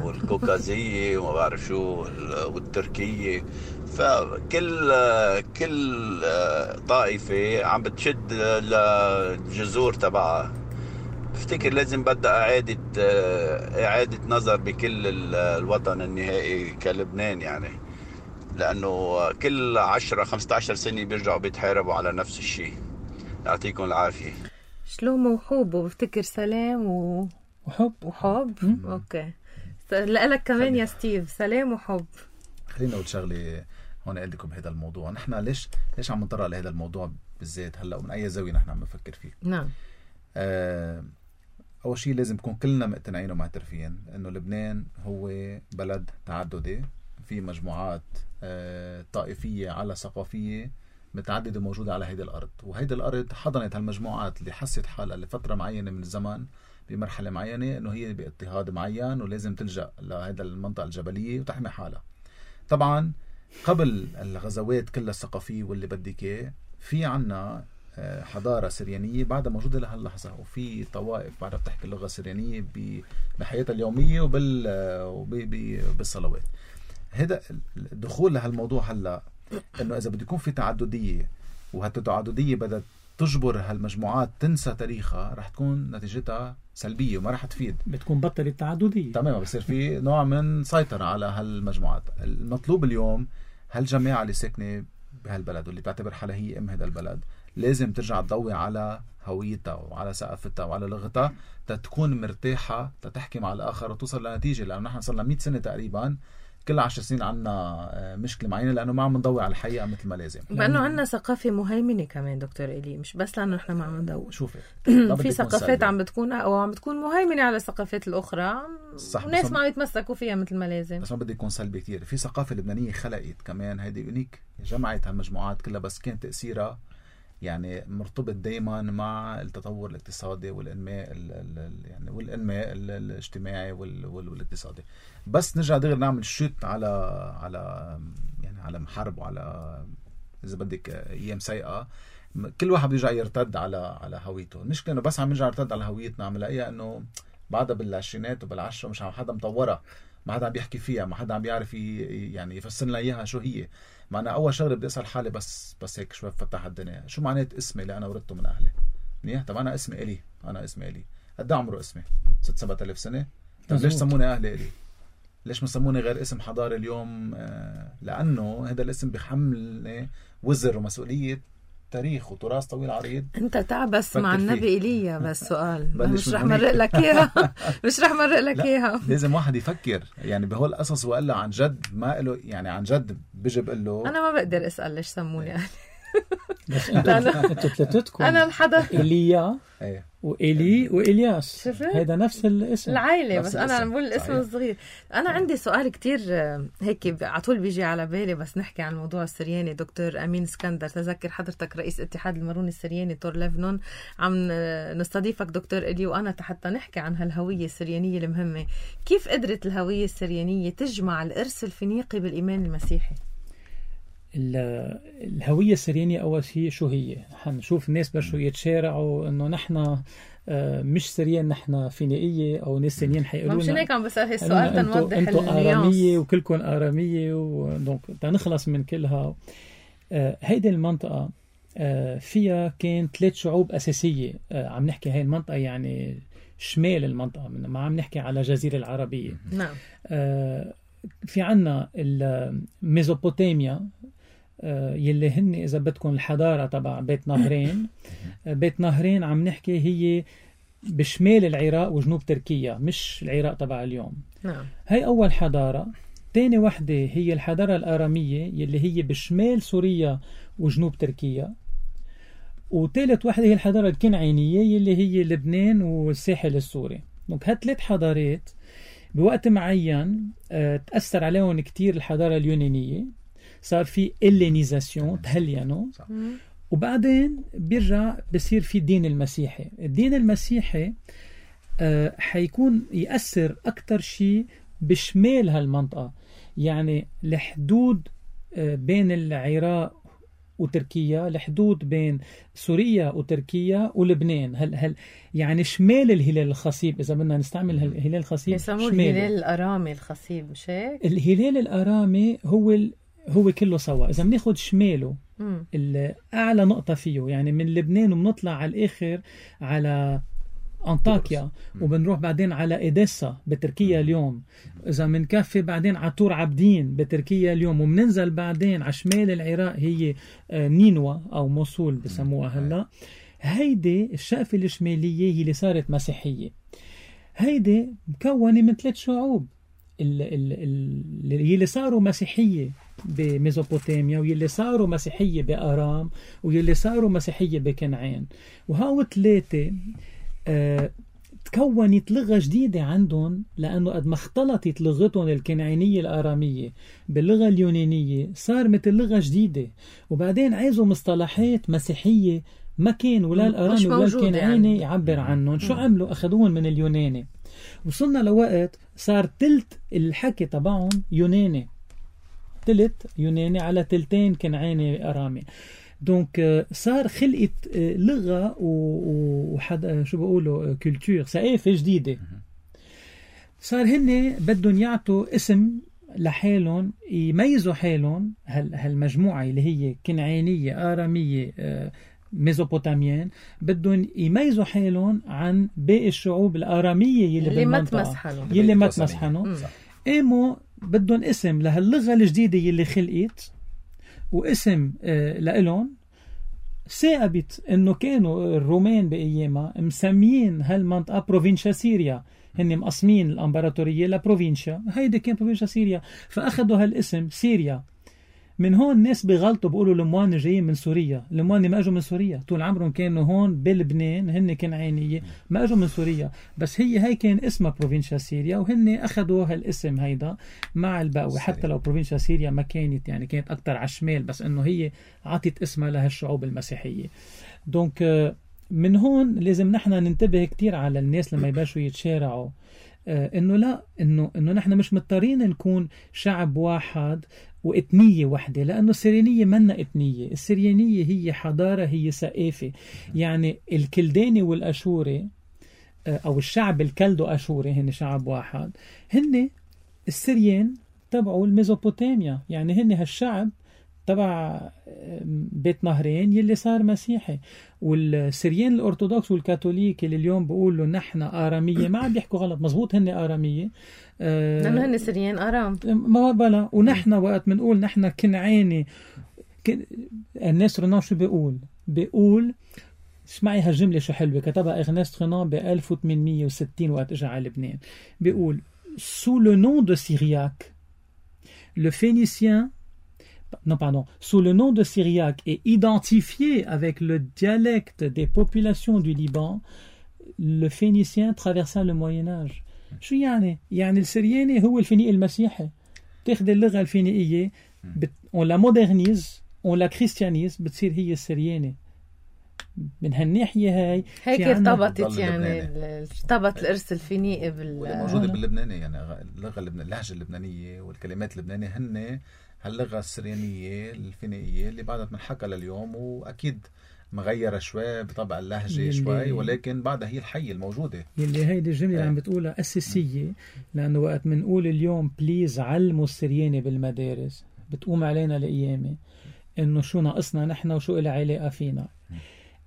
[SPEAKER 5] والكوكازية وما بعرف شو والتركية. فكل طائفة عم بتشد للجذور تبعها. بفتكر لازم بدأ إعادة نظر بكل الوطن النهائي كلبنان يعني، لأنه كل 10-15 سنة بيرجعوا بيتحاربوا على نفس الشيء. يعطيكم العافية.
[SPEAKER 1] شلوم وحب، وبفتكر سلام وحب. اوكي، لك كمان يا ستيف سلام وحب.
[SPEAKER 3] خلينا اقول شغله هون عندكم بهذا الموضوع. نحن ليش عم نطرق لهذا الموضوع بالذات هلا، ومن اي زاويه نحن عم نفكر فيه؟
[SPEAKER 1] نعم.
[SPEAKER 3] اول شيء لازم نكون كلنا مقتنعين ومعترفين انه لبنان هو بلد تعددي، في مجموعات طائفيه على ثقافيه متعددة موجودة على هيدي الأرض، وهيدي الأرض حضنت هالمجموعات اللي حست حالها لفترة معينة من الزمن بمرحلة معينة إنه هي باضطهاد معين ولازم تلجأ لهيدا المنطقة الجبلية وتحمي حالها. طبعا قبل الغزوات كلها الثقافية واللي بدك في عنا حضارة سريانية بعدها موجودة لهاللحظة، وفي طوائف بعدها بتحكي اللغة السريانية بحياتها اليومية وبالصلوات. هذا الدخول لهالموضوع هلا انه اذا بده يكون في تعدديه، وهالتعدديه بدها تجبر هالمجموعات تنسى تاريخها، رح تكون نتيجتها سلبيه وما رح تفيد،
[SPEAKER 2] بتكون بطل التعدديه
[SPEAKER 3] تماما. بصير في نوع من سيطره على هالمجموعات. المطلوب اليوم هالجماعه اللي ساكنه بهالبلد واللي بتعتبر حالها هي ام هذا البلد لازم ترجع تضوي على هويتها وعلى ثقافتها وعلى لغتها تتكون مرتاحه تتحكي مع الاخر وتوصل لنتيجه. لانه نحن صرنا 100 سنه تقريبا كل 10 سنين عنا مشكلة معينة لأنه ما عم نضوي على الحقيقة مثل ما لازم.
[SPEAKER 1] لأنه عنا ثقافة مهيمنة كمان دكتور إلي، مش بس لأنه إحنا ما عم ندور.
[SPEAKER 3] شوفي
[SPEAKER 1] في ثقافات عم بتكون مهيمنة على الثقافات الأخرى، وناس ما عم يتمسكوا فيها مثل ما لازم.
[SPEAKER 3] بس ما بدي يكون سلبي كتير. في ثقافة لبنانية خلقت كمان هيدي يونيك، جمعت هالمجموعات كلها، بس كان تأثيرها يعني مرتبط دايما مع التطور الاقتصادي والانماء يعني والانماء الاجتماعي والاقتصادي. بس نرجع دغري نعمل شوت على يعني على محارب وعلى اذا بدك ايام سيئه، كل واحد بيرجع يرتد على هويته. المشكله انه بس عم نرجع نرتد على هويتنا عم نلاقيها انه بعدها بالعشرينات وبالعشرة مش عم حدا مطورها، ما حدا عم بيحكي فيها، ما حدا عم بيعرف يعني يفسر لنا اياها شو هي. معنا اول شغله بدي اسال حالي بس هيك شوي فتح الدنيا، شو معنات اسمي اللي انا ورثته من اهلي؟ منيح. طب انا اسمي الي، قد عمره اسمي 6-7 آلاف سنه. طب ليش سموني اهلي الي؟ ليش ما سموني غير اسم حضاري اليوم؟ لانه هذا الاسم بيحملني وزر ومسؤوليه تاريخ وتراث طويل عريض.
[SPEAKER 1] انت تعبس مع النبي ايليا بس سؤال مش رح
[SPEAKER 3] من
[SPEAKER 1] مرق لك اياها. مش رح مرق لك اياها.
[SPEAKER 3] لازم واحد يفكر يعني بهول القصص، وقال عن جد ما له يعني عن جد بيجي بقول له
[SPEAKER 1] انا ما بقدر اسال ليش سموني اهلي.
[SPEAKER 2] بس انتوا ثلاثتكم
[SPEAKER 1] انا الحدا
[SPEAKER 2] ايليا وإيلي وإلياس، هذا نفس الاسم
[SPEAKER 1] العائلة، بس أنا عم بقول الاسم الصغير. أنا عندي سؤال كتير هيك على طول بيجي على بالي بس نحكي عن الموضوع السرياني. دكتور أمين اسكندر، تذكر حضرتك رئيس اتحاد الماروني السرياني تور ليفنون، عم نستضيفك دكتور إلي وأنا حتى نحكي عن هالهوية السريانية المهمة. كيف قدرت الهوية السريانية تجمع الإرث الفينيقي بالإيمان المسيحي؟
[SPEAKER 2] الهوية السريانية أول شيء شو هي؟ حنشوف الناس بشو يتشارعوا إنه نحن مش سريان، نحن فينيقية أو ناس سريان حيقولون
[SPEAKER 1] مش هيك عم بسأل هالسؤال تنوضح
[SPEAKER 2] أنتوا آرامية وكلكم آرامية ودونك تنخلص من كلها. هيدي المنطقة فيها كان 3 شعوب أساسية. عم نحكي هاي المنطقة يعني شمال المنطقة، ما عم نحكي على جزيرة العربية.
[SPEAKER 1] نعم.
[SPEAKER 2] في عنا الميزوبوتاميا يلي هن إذا بدكم الحضارة تبع بيت نهرين. بيت نهرين عم نحكي هي بشمال العراق وجنوب تركيا، مش العراق تبع اليوم.
[SPEAKER 1] نعم.
[SPEAKER 2] هاي أول حضارة. تاني وحدة هي الحضارة الآرامية يلي هي بشمال سوريا وجنوب تركيا. وثالث وحدة هي الحضارة الكنعانية يلي هي لبنان والساحل السوري. دونك هالثلاث حضارات بوقت معين تأثر عليهم كتير الحضارة اليونانية، صار في إلينيزاسيون، تهلينوا، وبعدين بيرجع بصير في الدين المسيحي. الدين المسيحي حيكون يأثر أكتر شيء بشمال هالمنطقة، يعني الحدود بين العراق وتركيا، الحدود بين سوريا وتركيا ولبنان. هل يعني شمال الهلال الخصيب، إذا بدنا نستعمل الهلال الخصيب
[SPEAKER 1] يسموه الهلال الأرامي الخصيب، مش هيك؟
[SPEAKER 2] الهلال الأرامي هو كله سوا. إذا بناخد شماله أعلى نقطة فيه يعني من لبنان وبنطلع على الآخر على أنطاكيا وبنروح بعدين على إيديسا بتركيا اليوم، إذا منكفي بعدين على طور عابدين بتركيا اليوم، ومننزل بعدين على شمال العراق هي نينوى أو موصول بسموها هلا. هيدي الشقفة الشمالية هي اللي صارت مسيحية. هيدي مكونة من 3 شعوب اللي صاروا مسيحية بميزوبوتاميا، واللي صاروا مسيحية بآرام، واللي صاروا مسيحية بكنعان. وهاو 3 تكونت لغة جديدة عندهم، لأنه قد ما اختلطت لغتهم الكنعانية الآرامية باللغة اليونانية صار مثل لغة جديدة. وبعدين عايزوا مصطلحات مسيحية ما كان ولا الآرامي ولا الكنعاني يعني يعبر عنهم. شو عملوا؟ أخذوهم من اليوناني. وصلنا لوقت صار تلت الحكي تبعهم يوناني، تلت يوناني على تلتين كنعاني آرامي. دونك صار خلقت لغة وحد شو بقولوا كولتور، ثقافة جديدة. صار هن بدهم يعطوا اسم لحالهم يميزوا حالهم، هالمجموعة اللي هي كنعانية آرامية ميزوبوتاميين، بدهم يميزوا حالهم عن باقي الشعوب الآرامية يلي ما تمسحنوا. قاموا بدهم اسم لهاللغة الجديدة يلي خلقت واسم لإلهم. ثاقبت انه كانوا الرومان بايامها مسميين هالمنطقه بروفينشا سيريا، هن مقسمين الامبراطوريه لبروفينشا، هيدي كان بروفينشا سيريا، فاخذوا هالاسم سيريا. من هون الناس بيغلطوا بيقولوا الموان جايين من سوريا، الموان ما اجوا من سوريا، طول عمرهم كانوا هون بلبنان، هن كنعانيه ما اجوا من سوريا، بس هي كان اسمها بروفينشا سيريا، وهن اخذوا هالاسم هيدا مع البقوي. حتى لو بروفينشا سيريا ما كانت يعني كانت اكثر على الشمال، بس انه هي عطت اسمها لهالشعوب المسيحيه. دونك من هون لازم نحن ننتبه كتير على الناس لما يباشوا يتشارعوا، انه لا، انه نحن مش مضطرين نكون شعب واحد وإثنية واحدة، لأنه السريانية منا إثنية. السريانية هي حضارة، هي ثقافة. يعني الكلداني والأشوري أو الشعب الكلدو أشوري هن شعب واحد، هن السريان تبعوا الميزوبوتاميا، يعني هن هالشعب تبع بيت نهرين يلي صار مسيحي. والسريان الأرثوذكس والكاثوليك اللي اليوم بيقولوا نحن آرامية ما عم بيحكوا غلط، مزبوط هن آرامية
[SPEAKER 1] لأنه هن سريان آرام
[SPEAKER 2] ما بلا. ونحن وقت منقول نحن كنعاني الناس رنان شو بيقول اسمعي هالجملة شو حلوة كتبها إغناست رنان ب 1860 وقت اجى على لبنان. بيقول sous le nom de Syriaque le Phénicien sous le nom de Syriaque est identifié avec le dialecte des populations du Liban, le Phénicien traversa le Moyen-Âge. شو يعني؟ يعني السرياني هو الفينيقي المسيحي. تاخد اللغة الفينيقية on la modernise on la christianise بتصير هي السرياني. من هالناحية هيك
[SPEAKER 1] ارتبطت، يعني ارتبط الإرث الفينيقي
[SPEAKER 3] موجودة باللبناني، يعني اللهجة اللبنانية والكلمات اللبنانية هن هاللغة السريانية الفينيقية اللي بعدها منحكى لليوم، وأكيد مغيرة شوي بطبع اللهجة شوي، ولكن بعدها هي الحية الموجودة.
[SPEAKER 2] يلي هيدي الجملة اللي عم بتقولها أساسية، لأنه وقت منقول اليوم بليز علموا السرياني بالمدارس بتقوم علينا لقيامة إنه شو ناقصنا نحن وشو إلها علاقة فينا.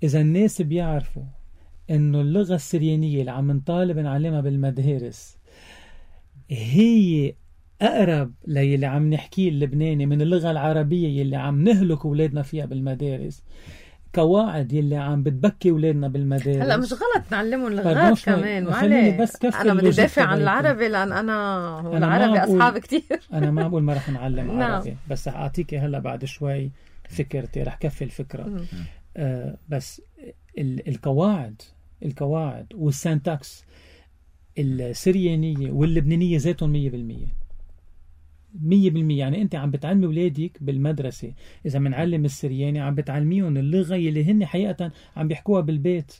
[SPEAKER 2] إذا الناس بيعرفوا إنه اللغة السريانية اللي عم نطالب نعلمها بالمدارس هي أقرب للي عم نحكيه اللبناني من اللغة العربية يلي عم نهلك أولادنا فيها بالمدارس، قواعد يلي عم بتبكي أولادنا بالمدارس.
[SPEAKER 1] هلا مش غلط نعلمهم لغات كمان، أنا بدي دافع عن العربي لأن أنا العربي أصحاب كتير.
[SPEAKER 2] أنا ما بقول ما رح نعلم عربي، بس رح أعطيك هلا بعد شوي فكرتي، رح كفي الفكرة. بس القواعد والسنتاكس السريانية واللبنانية ذاتهم 100%. يعني أنت عم بتعلمي أولادك بالمدرسة، إذا منعلم السرياني عم بتعلميهم اللغة اللي هن حقيقة عم بيحكوها بالبيت.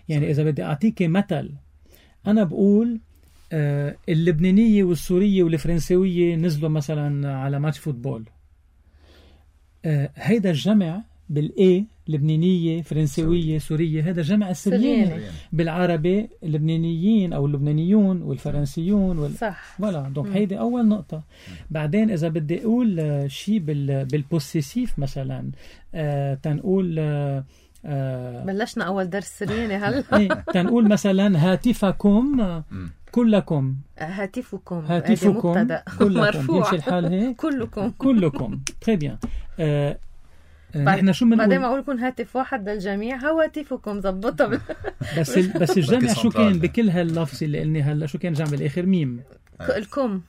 [SPEAKER 2] يعني إذا بدي أعطيك مثل، أنا بقول اللبنانية والسورية والفرنسوية نزلوا مثلا على ماتش فوتبول، هيدا الجمع بالإيه لبنانية فرنسوية سورية، هذا جمع السرياني. بالعربي اللبنانيين أو اللبنانيون والفرنسيون
[SPEAKER 1] صح
[SPEAKER 2] ولا دونك هيدي أول نقطة. بعدين إذا بدي أقول شيء بالبوسيسيف مثلا تنقول
[SPEAKER 1] بلشنا أول درس سرياني هلا
[SPEAKER 2] تنقول مثلا هاتفكم كلكم،
[SPEAKER 1] هاتفكم
[SPEAKER 2] كلكم يمشي الحال هيك كلكم تري بيان.
[SPEAKER 1] نحن شو بعدين ما اقول لكم هاتف واحد للجميع، هواتفكم ظبطها
[SPEAKER 2] بس الجمع شو كان بكل هاللفظ اللي قلني هلا؟ شو كان جمع بالاخر؟ ميم
[SPEAKER 1] الكم،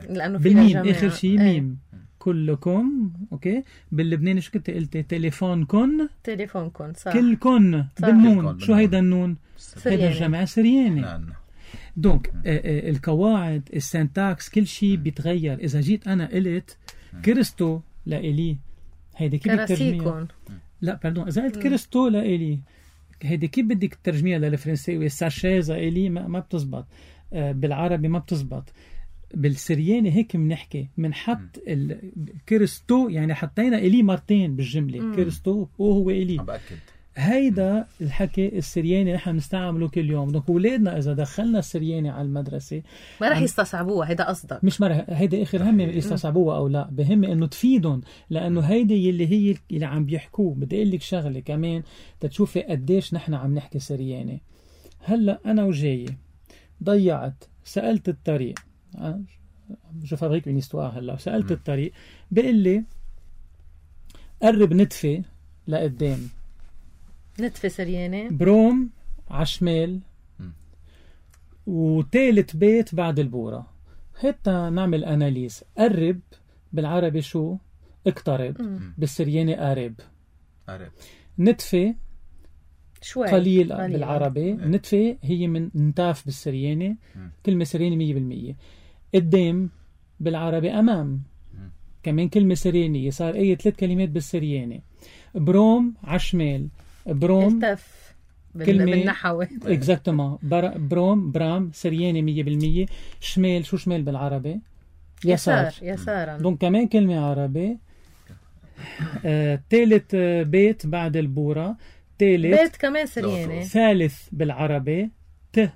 [SPEAKER 1] لانه في
[SPEAKER 2] بالميم اخر شيء ميم. كلكم اوكي. باللبناني شو كنت قلتي؟ تليفونكن
[SPEAKER 1] صح.
[SPEAKER 2] كلكن بالنون. شو هيدا النون؟ هيدا الجمع سرياني. دونك القواعد السنتاكس كل شيء بيتغير. اذا جيت انا قلت كريستو لإلي، هيدي كيف بترجميها؟ لا باردون، إذا قلت كريستو لإلي هيدي كيف بدك تترجميها للفرنسية؟ ساشيزا إلي ما بتزبط، بالعربي ما بتزبط. بالسرياني هيك منحكي، منحط الكريستو، يعني حطينا إلي مرتين بالجملة، كريستو وهو إلي. هيدا الحكي السرياني نحن نستعمله كل يوم. دونك أولادنا إذا دخلنا السرياني على المدرسة
[SPEAKER 1] ما رح يستصعبوها. هيدا قصدك؟
[SPEAKER 2] مش مرة هيدا آخر هم يستصعبوها أو لا، بهم إنه تفيدهم، لأنه هيدا هي اللي عم بيحكوه. بدي أقول لك شغلة كمان تتشوفي قديش نحن عم نحكي سرياني. هلا أنا وجاي ضيعت، سألت الطريق، جو فابريك اون هيستوار. هلا سألت الطريق، بقول لي قرب نتفة لقدام،
[SPEAKER 1] نتفة سريانة،
[SPEAKER 2] بروم عشمال، وثالث بيت بعد البورة. حتى نعمل أناليز. قرب بالعربي شو؟ اقترب. بالسرياني قارب. نتفة
[SPEAKER 1] شوي
[SPEAKER 2] قليل بالعربي. نتفة هي من نتاف بالسرياني، كلمة سرياني 100%. قدام بالعربي أمام، كمان كلمة سريانية. صار أي 3 كلمات بالسرياني. بروم عشمال، بروم
[SPEAKER 1] التف بالنحوي
[SPEAKER 2] اكزاكتومون. بروم برام سرياني 100%. شمال شو شمال بالعربي؟
[SPEAKER 1] يسارا.
[SPEAKER 2] دونك كمان كلمة عربي. ثالث بيت بعد البورة، ثالث
[SPEAKER 1] بيت كمان سرياني.
[SPEAKER 2] ثالث بالعربي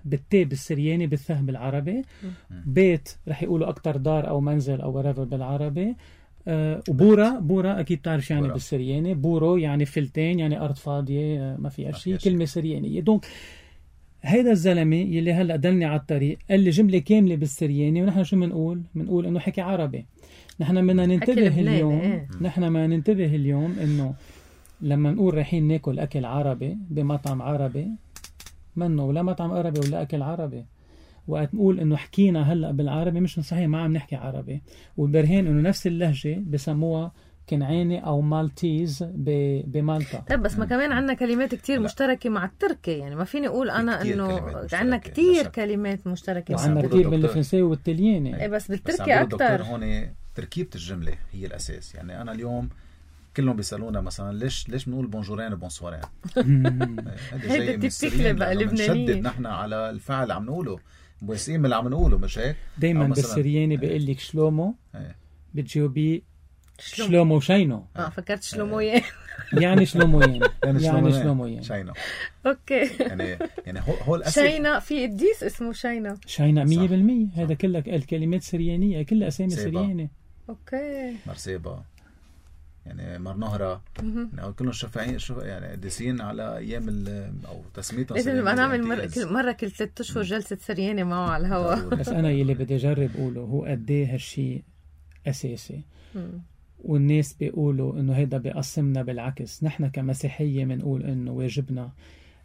[SPEAKER 2] بالتي بالسرياني، بالث بالعربي. بيت رح يقولوا أكتر دار أو منزل أو whatever بالعربي. وبورا أكيد تعرف يعني
[SPEAKER 3] بورا.
[SPEAKER 2] بالسرياني. بورو يعني فلتين، يعني أرض فاضية ما فيها شيء، كلمة سريانية. دونك هيدا الزلمة يلي هلأ دلني على الطريق قال لي جملة كاملة بالسرياني، ونحن شو منقول إنه حكي عربي. نحن بدنا ننتبه اليوم، نحن ما ننتبه اليوم إنه لما نقول رايحين ناكل أكل عربي بمطعم عربي، منه ولا مطعم عربي ولا أكل عربي. وقت نقول إنه حكينا هلأ بالعربي مش صحيح، ما عم نحكي عربي. والبرهين إنه نفس اللهجة بسموها كنعاني أو مالتيز بمالطا.
[SPEAKER 1] طيب بس ما كمان عنا كلمات كتير مشتركة مع التركي، يعني ما فيني أقول أنا إنه عنا كتير كلمات مشتركة،
[SPEAKER 2] وعنا كتير بالفرنسي والتلياني.
[SPEAKER 1] بس بالتركي أكتر.
[SPEAKER 3] هون تركيبة الجملة هي الأساس. يعني أنا اليوم كلهم بيسألونا مثلا ليش بنقول بونجورين وبونسوارين؟
[SPEAKER 1] هيدا تبتكلي بقى لبنانية.
[SPEAKER 3] بنشدد نحن على الفعل اللي عم نقوله، بوسيم اللي عم نقوله، مش هيك؟
[SPEAKER 2] دايما بالسرياني بيقول لك شلومو، بتجاوبي شلومو شينو.
[SPEAKER 1] فكرت شلوموين.
[SPEAKER 2] يعني شلوموين، يعني شلوموين
[SPEAKER 3] شينو.
[SPEAKER 1] اوكي.
[SPEAKER 3] يعني هو الأساس.
[SPEAKER 1] شينا في قديس اسمه شينا
[SPEAKER 2] 100%. هذا كلها الكلمات سريانية، كلها أسامي سرياني.
[SPEAKER 1] اوكي.
[SPEAKER 3] مرسيبا، يعني مرنهرة، يعني كلهم شفاعين يعني قديسين على ايام او تسميتهم.
[SPEAKER 1] لازم نبقى نعمل مرة كل 3 أشهر جلسة سرياني معه على الهواء.
[SPEAKER 2] بس انا يلي بدي اجرب اقوله هو قد ايه هالشيء اساسي. والناس بيقولوا انه هيدا بيقسمنا، بالعكس نحن كمسيحية بنقول انه واجبنا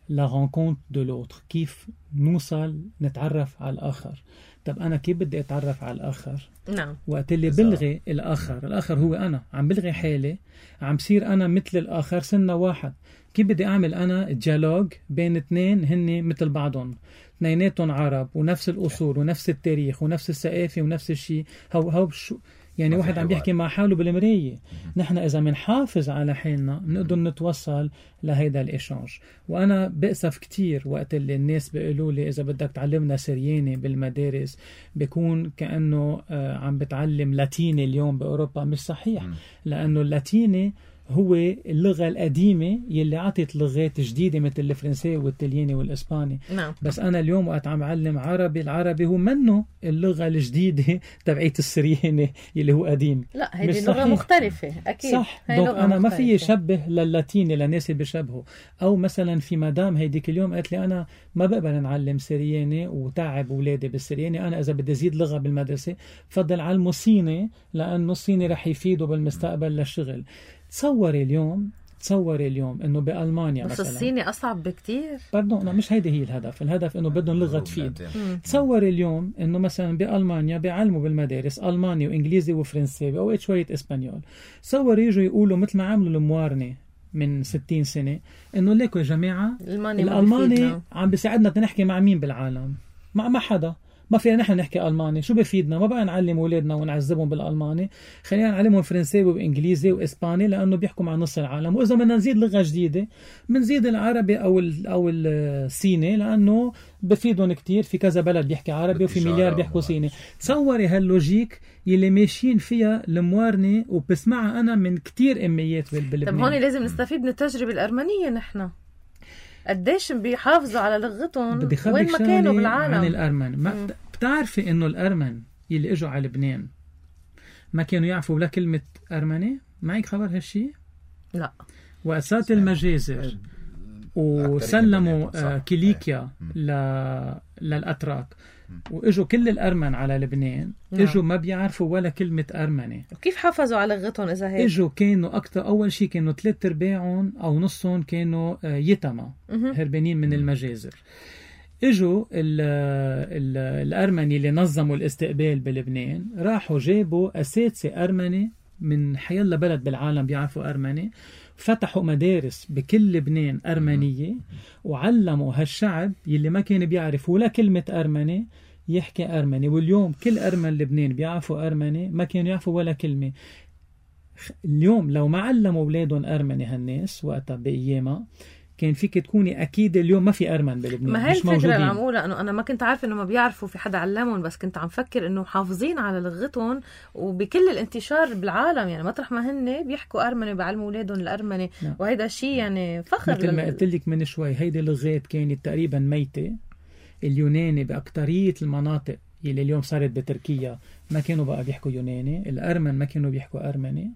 [SPEAKER 2] لا رانكونت دو لوتر، كيف نوصل نتعرف على الاخر. طب أنا كيف بدي أتعرف على الآخر؟
[SPEAKER 1] نعم.
[SPEAKER 2] وقت اللي بلغي الآخر هو أنا، عم بلغي حالي، عم صير أنا مثل الآخر، سنة واحد. كيف بدي أعمل أنا ديالوج بين اثنين هن مثل بعضهم، اثنيناتهم عرب ونفس الأصول ونفس التاريخ ونفس الثقافة ونفس الشيء؟ هو شو يعني واحد عم بيحكي مع حاله بالمراية. نحن إذا منحافظ على حالنا بنقدر نتوصل لهيدا الإيشانج. وأنا بأسف كتير وقت اللي الناس بيقولوا لي إذا بدك تعلمنا سرياني بالمدارس بيكون كأنه عم بتعلم لاتيني اليوم بأوروبا. مش صحيح، لأنه اللاتيني هو اللغة القديمة يلي عطت لغات جديدة مثل الفرنسي والتلياني والإسباني.
[SPEAKER 1] نعم.
[SPEAKER 2] بس أنا اليوم وقت عم أعلم عربي، العربي هو منه اللغة الجديدة تبعيت السرياني يلي هو قديم.
[SPEAKER 1] لا هيدي لغة مختلفة أكيد.
[SPEAKER 2] صح. دونك أنا ما في شبه لللاتيني للناس اللي بيشبهوا. أو مثلا في مدام هيديك اليوم قالت لي أنا ما بقبل نعلم سرياني وتعب أولادي بالسرياني، أنا إذا بدي أزيد لغة بالمدرسة فضل علمه صيني، لأنه الصيني رح يفيده بالمستقبل للشغل. تصوري اليوم انه بالمانيا
[SPEAKER 1] بس
[SPEAKER 2] مثلا
[SPEAKER 1] الصيني اصعب بكتير.
[SPEAKER 2] لا مش هيدي هي الهدف انه بدهم لغه تفيد. تصوري اليوم انه مثلا بالمانيا بيعلموا بالمدارس الماني وانجليزي وفرنسي واوقات شويه اسبانيول. تصوري يجوا يقولوا مثل ما عملوا الموارنه من 60 سنه انه ليكوا يا جماعه الالماني عم بيساعدنا تنحكي مع مين بالعالم؟ مع حدا. ما فينا نحن نحكي ألماني، شو بفيدنا؟ ما بقى نعلم أولادنا ونعذبهم بالألماني، خلينا نعلمهم فرنسي وإنجليزي وإسباني لأنه بيحكوا مع نص العالم. وإذا بدنا نزيد لغة جديدة بنزيد العربي أو الصيني لأنه بفيدهم كتير. في كذا بلد بيحكي عربي وفي مليار بيحكوا صيني. تصوري هاللوجيك يلي ماشيين فيها الموارنة وبسمعها أنا من كتير أميات بلبنان.
[SPEAKER 1] طب هون لازم نستفيد من التجربة الأرمنية. نحن قديش بيحافظوا على لغتهم وين ما كانوا بالعالم.
[SPEAKER 2] عن الأرمن ما بتعرفي إنه الأرمن يلي إجوا على لبنان ما كانوا يعرفوا ولا كلمة أرمني؟ معك خبر هالشي؟
[SPEAKER 1] لا.
[SPEAKER 2] وأسات المجازر وسلموا كيليكيا للأتراك وإجوا كل الأرمن على لبنان. إجوا ما بيعرفوا ولا كلمة أرمني.
[SPEAKER 1] وكيف حافظوا على لغتهم إذا هيك؟
[SPEAKER 2] إجوا كانوا أكتر، أول شيء كانوا 3/4 أو نصهم كانوا يتما هربانين من المجازر. إجوا الأرمني اللي نظموا الاستقبال بلبنان راحوا جابوا أساتذة أرمني من حيالله بلد بالعالم بيعرفوا أرمني، فتحوا مدارس بكل لبنان أرمنية وعلموا هالشعب يلي ما كان بيعرف ولا كلمة أرمني يحكي أرمني. واليوم كل أرمن لبنان بيعرفوا أرمني، ما كانوا يعرفوا ولا كلمة. اليوم لو ما علموا أولادهم أرمني هالناس وقتها بأيامها كان فيك تكوني أكيد اليوم ما في أرمن بلبنان.
[SPEAKER 1] ما هي الفكرة اللي عم أقولها، أنه أنا ما كنت عارفة أنه ما بيعرفوا في حدا علمهم، بس كنت عم فكر أنه حافظين على لغتهم وبكل الانتشار بالعالم. يعني مطرح ما هن بيحكوا أرمني بيعلموا أولادهم الأرمني. وهيدا شيء يعني فخر.
[SPEAKER 2] مثل ما قلت لك من شوي هيدي لغات كانت تقريبا ميتة، اليوناني بأكترية المناطق اللي اليوم صارت بتركيا ما كانوا بقى بيحكوا يوناني، الأرمن ما كانوا بيحكوا أرمني،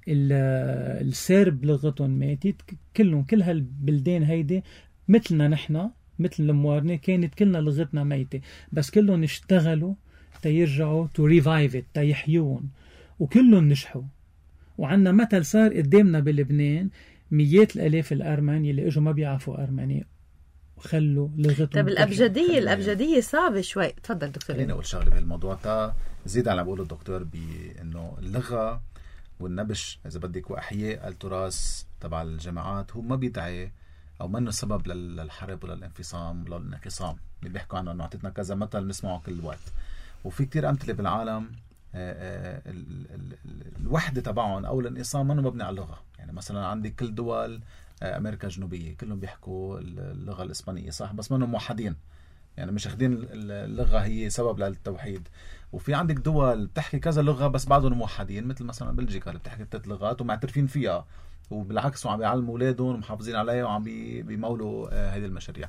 [SPEAKER 2] السرب لغتهم ماتت، كل هالبلدان هيدي مثلنا نحن، مثل الموارنة كانت كلنا لغتنا ميتة، بس كلهم اشتغلوا تيرجعوا to revive it، تيحيون، وكلهم نجحوا. وعنا مثل صار قدامنا بلبنان، مئات الآلاف الأرمن يلي اجوا ما بيعرفوا أرمني وخلوا لغتهم.
[SPEAKER 1] طب الأبجدية صعبة شوي. تفضل دكتور.
[SPEAKER 3] خليني أقول شغلة بهالموضوع تا زيد على بقوله الدكتور، بأنه اللغة والنبش إذا بدك وأحياء التراث تبع الجماعات هو ما بيدعي أو منه سبب للحرب ولا الانفصام ولا الانقسام اللي بيحكوا عنه. أنه عطيتنا كذا مثل نسمعه كل وقت، وفي كتير أمثلة بالعالم الوحدة تبعهم أو الانقسام منه مبني على اللغة. يعني مثلا عندي كل دول أمريكا الجنوبية كلهم بيحكوا اللغة الإسبانية صح، بس منهم موحدين، يعني مش أخدين اللغة هي سبب للتوحيد. وفي عندك دول بتحكي كذا لغة بس بعضهم موحدين، مثل مثلا بلجيكا اللي بتحكي 3 لغات ومعترفين فيها، وبالعكس وعم بيعلموا أولادهم ومحافظين عليها وعم بيمولوا هذه المشاريع.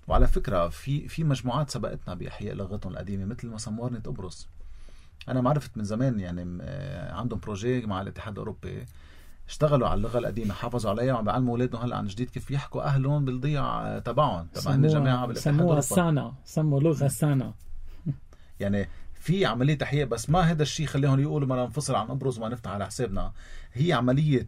[SPEAKER 3] وعلى فكرة في مجموعات سبقتنا بإحياء لغتهم القديمة، مثل مثلا موارنة قبرص. أنا ما عرفت من زمان، يعني عندهم بروجي مع الاتحاد الأوروبي، اشتغلوا على اللغة القديمة، حافظوا عليها وعم بيعلموا أولادهم هلا عن جديد كيف يحكوا أهلهم بالضيعة تبعهم الجماعة بالاتحاد الأوروبي.
[SPEAKER 2] سموا لغة سانا.
[SPEAKER 3] يعني في عملية تحقيق، بس ما هذا الشيء خليهم يقولوا ما ننفصل عن قبرص وما نفتح على حسابنا. هي عملية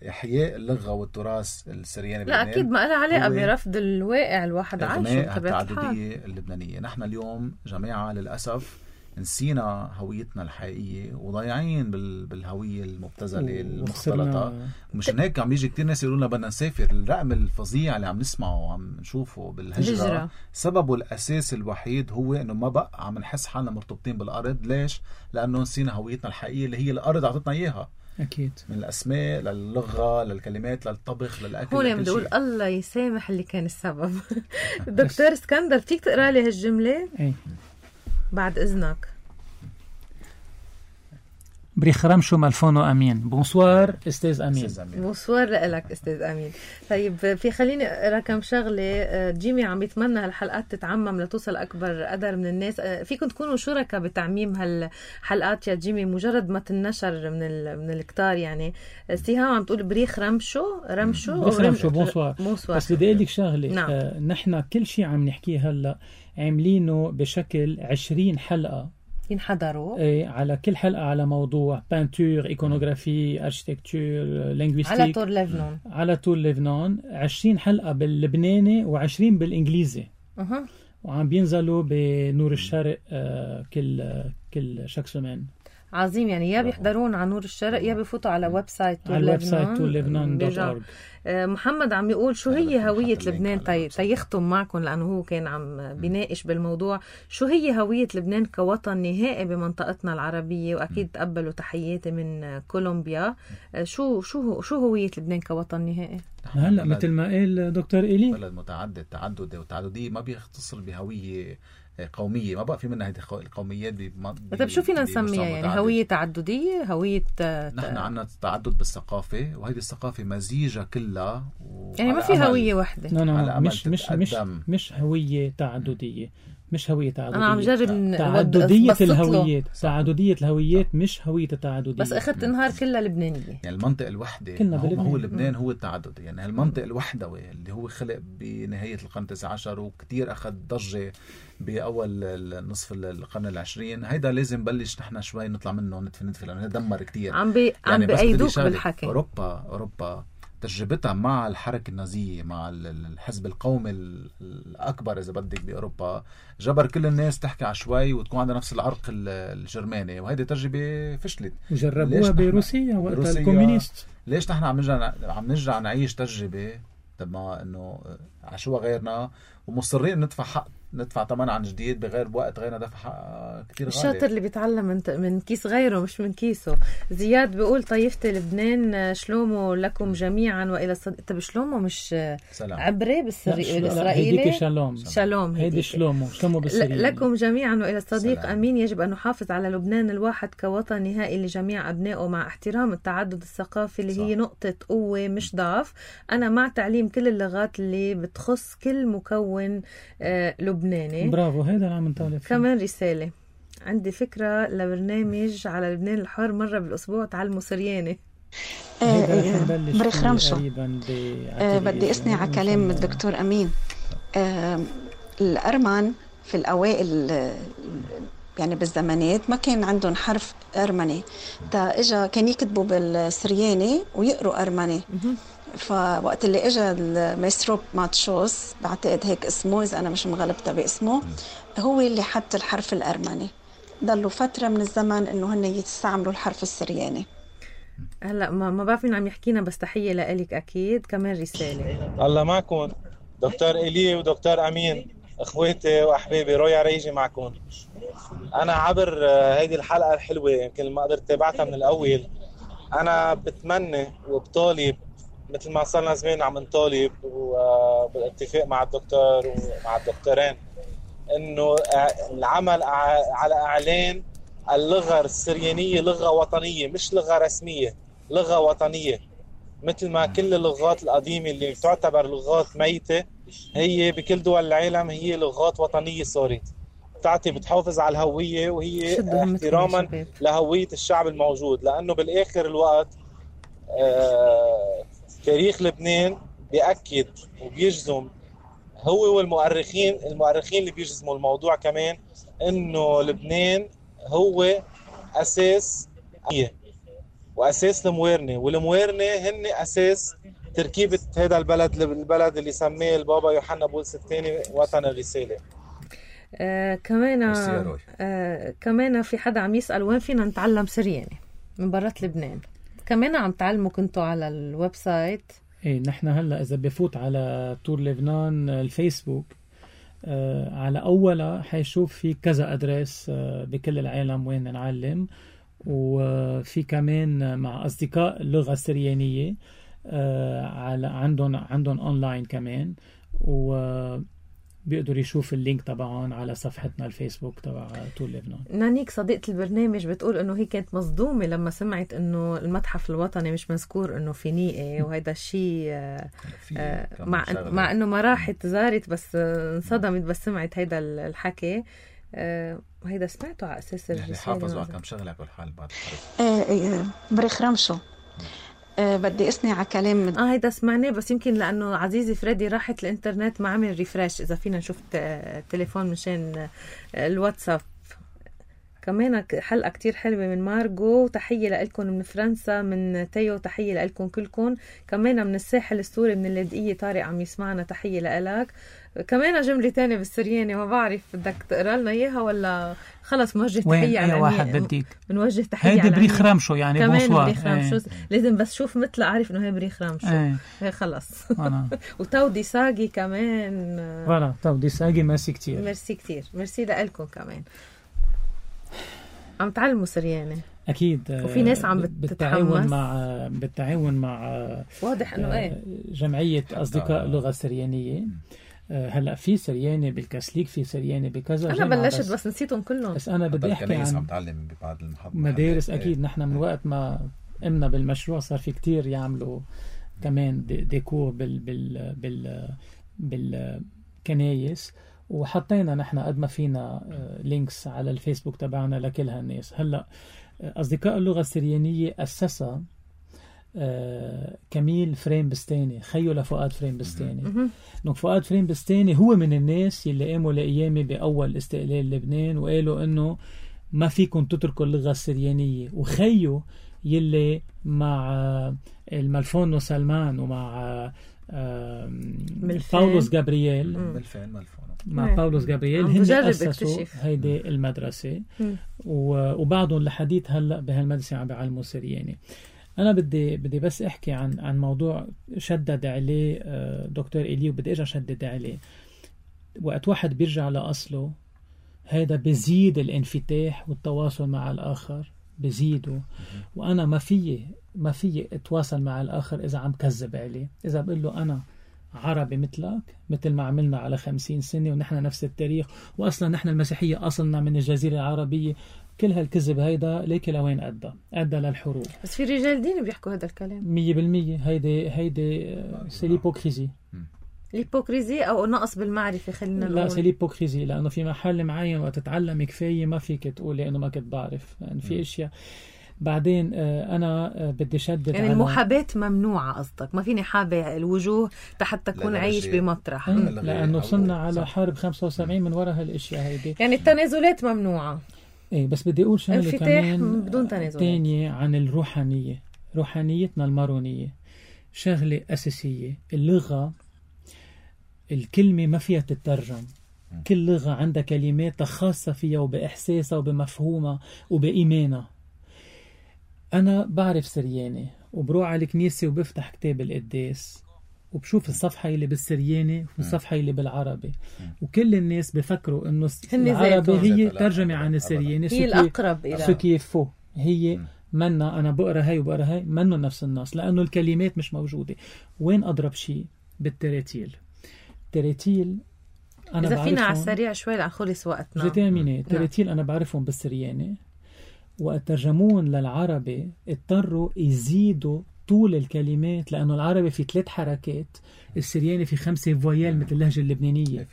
[SPEAKER 3] إحياء اللغة والتراث السرياني
[SPEAKER 1] لا أكيد ما لها علاقة برفض الواقع الواحد عايشه.
[SPEAKER 3] التعددية اللبنانية. نحن اليوم جماعة للأسف نسينا هويتنا الحقيقية وضايعين بالهوية المبتذلة المختلطة. مشان هيك عم بيجي كتير ناس يقولون بدنا نسافر. الرقم الفظيع اللي عم نسمعه وعم نشوفه بالهجرة سببه الأساس الوحيد هو إنه ما بقى عم نحس حالنا مرتبطين بالأرض. ليش؟ لأنه نسينا هويتنا الحقيقية اللي هي الأرض عطتنا إياها.
[SPEAKER 2] أكيد، من
[SPEAKER 3] الأسماء للغة للكلمات للطبخ للأكل.
[SPEAKER 1] هون بدي أقول الله يسامح اللي كان السبب. دكتور اسكندر فيك تقرأ لي هالجملة؟
[SPEAKER 2] أي. بعد
[SPEAKER 1] إذنك.
[SPEAKER 2] بريخرمشو مالفونو أمين. بونسوار أستاذ أمين.
[SPEAKER 1] بونسوار لك أستاذ أمين. طيب في خليني أقرأ كم شغلة. جيمي عم يتمنى هالحلقات تتعمم لتوصل أكبر قدر من الناس. فيكم تكونوا شركاء بتعميم هالحلقات يا جيمي مجرد ما تنشر من الكتار. يعني سيهام عم تقول بريخرمشو
[SPEAKER 2] بونسوار. بس بدي أقول لك شغلة. نعم. نحن كل شيء عم نحكيه هلا عاملينه بشكل 20 حلقة
[SPEAKER 1] ينحضروا.
[SPEAKER 2] ايه، على كل حلقة على موضوع بانتور، ايكونوغرافي، اركتيكتور، لينغويستيك، على طول لبنان 20 حلقة باللبناني و20 بالانجليزي. وعم بينزلوا بنور الشرق كل شك سمان.
[SPEAKER 1] عظيم. يعني يا بيحضرون على نور الشرق يا بيفوتوا على ويب سايت
[SPEAKER 2] tourlebnan.org.
[SPEAKER 1] محمد عم يقول شو هي هوية لبنان تيختم معكم، لأنه هو كان عم بيناقش بالموضوع. شو هي هوية لبنان كوطن نهائي بمنطقتنا العربية؟ وأكيد تقبلوا تحياتي من كولومبيا. شو هوية لبنان كوطن نهائي؟
[SPEAKER 2] هلا مثل ما قال دكتور إيلي،
[SPEAKER 3] بلد متعدد، تعدد والتعددية ما بيختصر بهوية قومية. ما بقى في منها هذه القوميات.
[SPEAKER 1] طيب شو فينا نسميها؟ يعني هوية تعددية، هوية
[SPEAKER 3] نحن عنا تعدد بالثقافة، وهذه الثقافة مزيجة كلها
[SPEAKER 1] يعني ما في هوية واحدة.
[SPEAKER 2] مش هوية تعددية. مش هوية تعددية.
[SPEAKER 1] أنا عم جرب
[SPEAKER 2] تعددية الهويات مش هوية التعددية.
[SPEAKER 1] بس أخذت نهار كلها لبنانية.
[SPEAKER 3] يعني المنطقة الوحدة هو لبنان هو التعدد. يعني المنطقة الوحدوي اللي هو خلق بنهاية القرن 19 وكتير أخذ ضجة بأول نصف القرن العشرين. هيدا لازم بلش نحن شوي نطلع منه ندفن لأنه دمر كتير.
[SPEAKER 1] عم بأيدوك بالحكي.
[SPEAKER 3] أوروبا تجربتها مع الحركة النازية، مع الحزب القومي الأكبر إذا بدك بأوروبا، جبر كل الناس تحكي عشوائي وتكون عندها نفس العرق الجرماني. وهيدي تجربة فشلت.
[SPEAKER 2] وجربوها بروسيا وقت الكومونيست.
[SPEAKER 3] ليش نحن عم نرجع نعيش تجربة تبع إنه عشوها غيرنا ومصرين ندفع ثمن عن جديد بغير وقت غيرنا دفع حق كتير غالي.
[SPEAKER 1] الشاطر اللي بيتعلم من كيس غيره مش من كيسه. زياد بيقول طيفتي لبنان شلومو لكم جميعا وإلى الصديق. طب شلومو مش
[SPEAKER 3] سلام.
[SPEAKER 1] عبري بالإسرائيلي؟
[SPEAKER 2] هيديك شالوم.
[SPEAKER 1] هيدي
[SPEAKER 2] شلومو بالسرية.
[SPEAKER 1] لكم جميعا وإلى الصديق
[SPEAKER 3] سلام.
[SPEAKER 1] أمين. يجب أن نحافظ على لبنان الواحد كوطن نهائي لجميع أبنائه مع احترام التعدد الثقافي اللي هي نقطة قوة مش ضعف. أنا مع تعليم كل اللغات اللي بتخص كل مكون ملون لبناني.
[SPEAKER 2] برافو، هيدا اللي عم نطالب فيه.
[SPEAKER 1] كمان رسالة: عندي فكرة لبرنامج على لبنان الحر مرة بالأسبوع تعلموا سرياني.
[SPEAKER 6] بريخ رمشو، بدي أثني على كلام الدكتور أمين. الأرمن في الأوائل يعني بالزمانات ما كان عندهم حرف أرمني، تا إجا كان يكتبوا بالسرياني ويقروا أرمني. فوقت اللي إجا المايسترو ماتشوس، بعتقد هيك اسمه إذا أنا مش مغلبتها باسمه، هو اللي حط الحرف الأرمني. ضلوا فترة من الزمن إنه هن يستعملوا الحرف السرياني.
[SPEAKER 1] هلا ما بعرف مين عم يحكينا، بس تحية لإلك أكيد. كمان رسالة:
[SPEAKER 7] الله معكم دكتور إيلي ودكتور أمين، اخواتي واحبابي، رويا ريجي معكم. انا عبر هيدي الحلقه الحلوه يمكن ما قدرت تابعتها من الاول. انا بتمنى وبطالب مثل ما صرنا زمان عم نطالب وبالاتفاق مع الدكتور ومع الدكتورين انه العمل على اعلان اللغه السريانيه لغه وطنيه، مش لغه رسميه، لغه وطنيه، مثل ما كل اللغات القديمه اللي تعتبر لغات ميته هي بكل دول العالم هي لغات وطنية صارت بتحافظ على الهوية، وهي احتراما لهوية الشعب الموجود. لأنه بالآخر الوقت تاريخ لبنان بيأكد وبيجزم هو والمؤرخين اللي بيجزموا الموضوع كمان، إنه لبنان هو أساس وأساس الموارنة، والموارنة هن أساس تركيبة هذا البلد اللي سميه البابا يوحنا بولس الثاني وطن الرسالة.
[SPEAKER 1] كمان في حدا عم يسأل وين فينا نتعلم سرياني من برات لبنان. كمان عم تعلموا كنتوا على الويب سايت.
[SPEAKER 2] ايه، نحن هلا اذا بفوت على تور لبنان الفيسبوك على أولا حيشوف في كذا أدريس بكل العالم وين نعلم، وفي كمان مع أصدقاء اللغة السريانية على عندهم أونلاين كمان، وبيقدروا يشوف اللينك طبعا على صفحتنا الفيسبوك تبع طول لبنان.
[SPEAKER 1] نانيك صديقة البرنامج بتقول انه هي كانت مصدومة لما سمعت انه المتحف الوطني مش مذكور انه في نيقة، وهذا الشيء مع انه ما راحت زارت، بس انصدمت بس سمعت هيدا الحكي. وهيدا سمعته على اساس الرسالة.
[SPEAKER 3] يعني حافظوا على كم شغله على كل حال بعد
[SPEAKER 6] بريخ رمشو. بدي أثني على كلام
[SPEAKER 1] هيدا سمعناه، بس يمكن لأنه عزيزي فريدي راحت الإنترنت ما عمل ريفريش. إذا فينا نشوف التليفون مشان الواتساب. كمان حلقة كتير حلوة من مارغو، تحية لألكم من فرنسا، من تيو تحية لألكم كلكم. كمان من الساحل السوري من اللاذقية طارق عم يسمعنا، تحية لألك. كمان جملة تانية بالسرياني ما بعرف بدك تقرأ لنا إياها ولا خلص موجه تحية على
[SPEAKER 2] واحد بديك
[SPEAKER 1] بنوجه تحية
[SPEAKER 2] هيدي بريخ رمشو يعني
[SPEAKER 1] كمان بريخ رمشو لازم بس شوف مثل أعرف إنه هي بريخ رمشو هي خلص وتودي ساقي كمان
[SPEAKER 2] فوالا تودي ساقي. ميرسي كتير
[SPEAKER 1] ميرسي لألكم كمان. عم تعلموا سرياني
[SPEAKER 2] أكيد،
[SPEAKER 1] وفي ناس عم
[SPEAKER 2] بالتعاون مع
[SPEAKER 1] واضح إنه
[SPEAKER 2] جمعية أصدقاء اللغة السريانية. هلا في سرياني بالكاسليك، في سرياني بكذا.
[SPEAKER 1] أنا بلشت بس نسيتهم كلهم.
[SPEAKER 2] بس أنا بدي أحكي عن
[SPEAKER 3] عم تعلم ببعض
[SPEAKER 2] مدارس. أكيد نحن من وقت ما قمنا بالمشروع صار في كتير يعملوا كمان ديكور بالكنايس، وحطينا نحن قد ما فينا لينكس على الفيسبوك تبعنا لكل هالناس. هلا أصدقاء اللغة السريانية أسسها كميل فريم بستاني، خيو لفؤاد فريم بستاني. فؤاد فريم بستاني هو من الناس اللي قاموا لأيامي بأول استقلال لبنان وقالوا إنه ما فيكم تتركوا اللغة السريانية، وخيو يلي مع الملفون سلمان ومع باولوس جابرييل مع باولوس جابرييل هن أسسوا هيدي المدرسة، وبعضهم لحديث هلأ بهالمدرسة عم بيعلموا سرياني. أنا بدي بس أحكي عن موضوع شدد عليه دكتور إيلي، وبدي أرجع شدد عليه. وقت واحد بيرجع لأصله هذا بزيد الانفتاح والتواصل مع الآخر بزيده. وأنا ما في أتواصل مع الآخر إذا عم كذب عليه، إذا بقول له أنا عربي مثلك، مثل ما عملنا على 50 سنة ونحن نفس التاريخ، وأصلا نحن المسيحية أصلنا من الجزيرة العربية. كل هالكذب هيدا ليك لوين أدى للحروب.
[SPEAKER 1] بس في رجال دين بيحكوا هذا الكلام
[SPEAKER 2] 100%. هيدي سي ليبوكريزي.
[SPEAKER 1] الهيبوكريزي أو نقص بالمعرفة خلينا نقول.
[SPEAKER 2] لا سي الهيبوكريزي، لأنه في محل معين وقت تتعلم كفاية ما فيك تقولي إنه ما كنت بعرف، يعني في أشياء. بعدين أنا بدي شدد
[SPEAKER 1] يعني
[SPEAKER 2] على
[SPEAKER 1] المحاباة ممنوعة قصدك، ما فيني حابة الوجوه حتى تكون عايش بمطرح.
[SPEAKER 2] لأنه وصلنا على حرب 75 من وراء هالأشياء هيدي.
[SPEAKER 1] يعني التنازلات ممنوعة.
[SPEAKER 2] إيه بس بدي أقول شغلة كمان
[SPEAKER 1] بدون تنازلات
[SPEAKER 2] تانية عن الروحانية، روحانيتنا المارونية شغلة أساسية. اللغة الكلمة ما فيها تترجم، كل لغة عندها كلمات خاصة فيها وبإحساسها وبمفهومها وبإيمانها. أنا بعرف سرياني وبروح على الكنيسة وبفتح كتاب القداس وبشوف الصفحة اللي بالسرياني والصفحة اللي بالعربي، وكل الناس بفكروا إنه العربي هي ترجمة عن السرياني،
[SPEAKER 1] هي الأقرب إلى
[SPEAKER 2] سكيفو هي منا. أنا بقرأ هاي وبقرأ هاي منه نفس النص، لأنه الكلمات مش موجودة. وين أضرب شيء؟ بالتراتيل. التراتيل أنا
[SPEAKER 1] إذا فينا على السريع شوي لنخلص وقتنا.
[SPEAKER 2] التراتيل أنا بعرفهم بالسرياني، وترجمون للعربي اضطروا يزيدوا طول الكلمات، لأنه العربي في 3 حركات، السرياني في 5 فويال مثل اللهجة اللبنانية.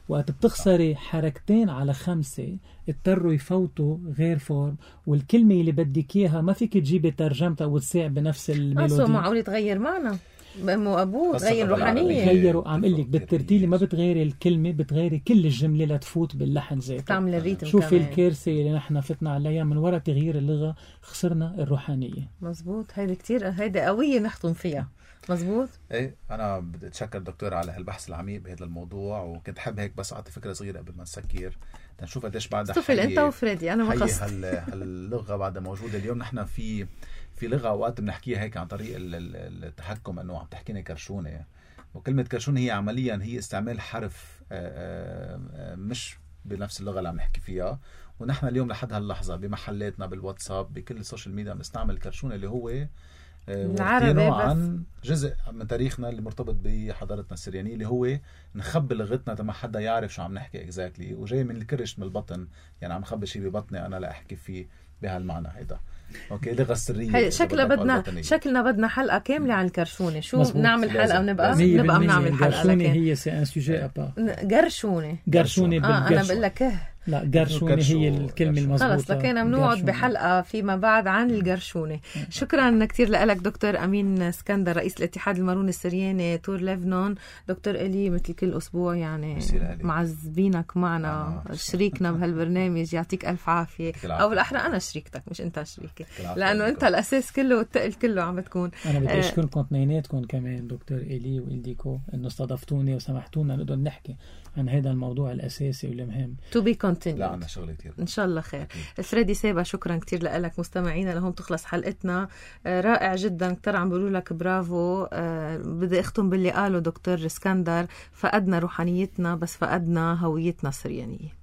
[SPEAKER 2] وقت بتخسري 2 على 5 اضطروا يفوتوا غير فورم، والكلمة اللي بدك إياها ما فيك تجيبي ترجمتها وتساع بنفس الميلودي.
[SPEAKER 1] معقول تغير معنى بأمو أبوه، تغير روحانية.
[SPEAKER 2] غيروا عم قلك بالترتيل ما بتغيري الكلمة، بتغيري كل الجملة لتفوت باللحن ذاته.
[SPEAKER 1] تعمل الريتم.
[SPEAKER 2] شوفي الكارثة اللي نحن فتنا عليها من وراء تغيير اللغة، خسرنا الروحانية.
[SPEAKER 1] مزبوط، هيدا كتير، هيدا قوية نحطم فيها. مزبوط.
[SPEAKER 3] ايه انا بدي اتشكر دكتور على هالبحث العميق بهذا الموضوع، وكنت حابب هيك بس اعطي فكره صغيره قبل ما نسكر تنشوف قديش بعد
[SPEAKER 1] استفل انت وفريدي. انا ما قصدت
[SPEAKER 3] هاللغه بعد موجوده اليوم. نحن في لغه اوقات بنحكيها هيك عن طريق التحكم، انه عم تحكينا كرشونه، وكلمه كرشونه هي عمليا هي استعمال حرف مش بنفس اللغه اللي عم نحكي فيها. ونحن اليوم لحد هاللحظه بمحلاتنا بالواتساب بكل السوشيال ميديا بنستعمل كرشونه اللي هو
[SPEAKER 1] العربي
[SPEAKER 3] عن جزء من تاريخنا اللي مرتبط بحضارتنا السريانية، اللي هو نخبي لغتنا تما حدا يعرف شو عم نحكي اكزاكتلي، وجاي من الكرش من البطن، يعني عم خبي شيء ببطني انا لا احكي فيه بهالمعنى. هيدا اوكي اللغة السرية.
[SPEAKER 1] شكلنا بدنا حلقة كاملة عن الكرشونة. شو نعمل حلقة ونبقى بنعمل حلقة.
[SPEAKER 2] الكرشونة هي سي ان سوجي ابا.
[SPEAKER 1] قرشونة
[SPEAKER 2] انا
[SPEAKER 1] بقول لك
[SPEAKER 2] لا قرشونة هي الكلمة المضبوطة.
[SPEAKER 1] خلص لكينا بنقعد بحلقة فيما بعد عن القرشونة. شكرا كتير لك دكتور أمين اسكندر، رئيس الاتحاد الماروني السرياني تور ليفنون. دكتور إلي مثل كل أسبوع يعني معذبينك معنا، شريكنا بهالبرنامج، يعطيك ألف عافية. أو الأحرى أنا شريكتك مش أنت شريكي، لأنه أنت الأساس كله والتقل كله عم بتكون.
[SPEAKER 2] أنا بدي أشكركم اثنيناتكم كمان دكتور إلي وإلديكو إنه استضفتوني وسمحتونا نقدر نحكي عن هذا الموضوع الأساسي والمهم.
[SPEAKER 1] To be continued.
[SPEAKER 3] لا عنا شغل كتير
[SPEAKER 1] إن شاء الله خير. فريدي سيبا شكرا كتير لك. مستمعينا لهم تخلص حلقتنا. رائع جدا، كتير عم بقولوا لك برافو. بدي أختم باللي قاله دكتور اسكندر، فقدنا روحانيتنا بس فقدنا هويتنا السريانية.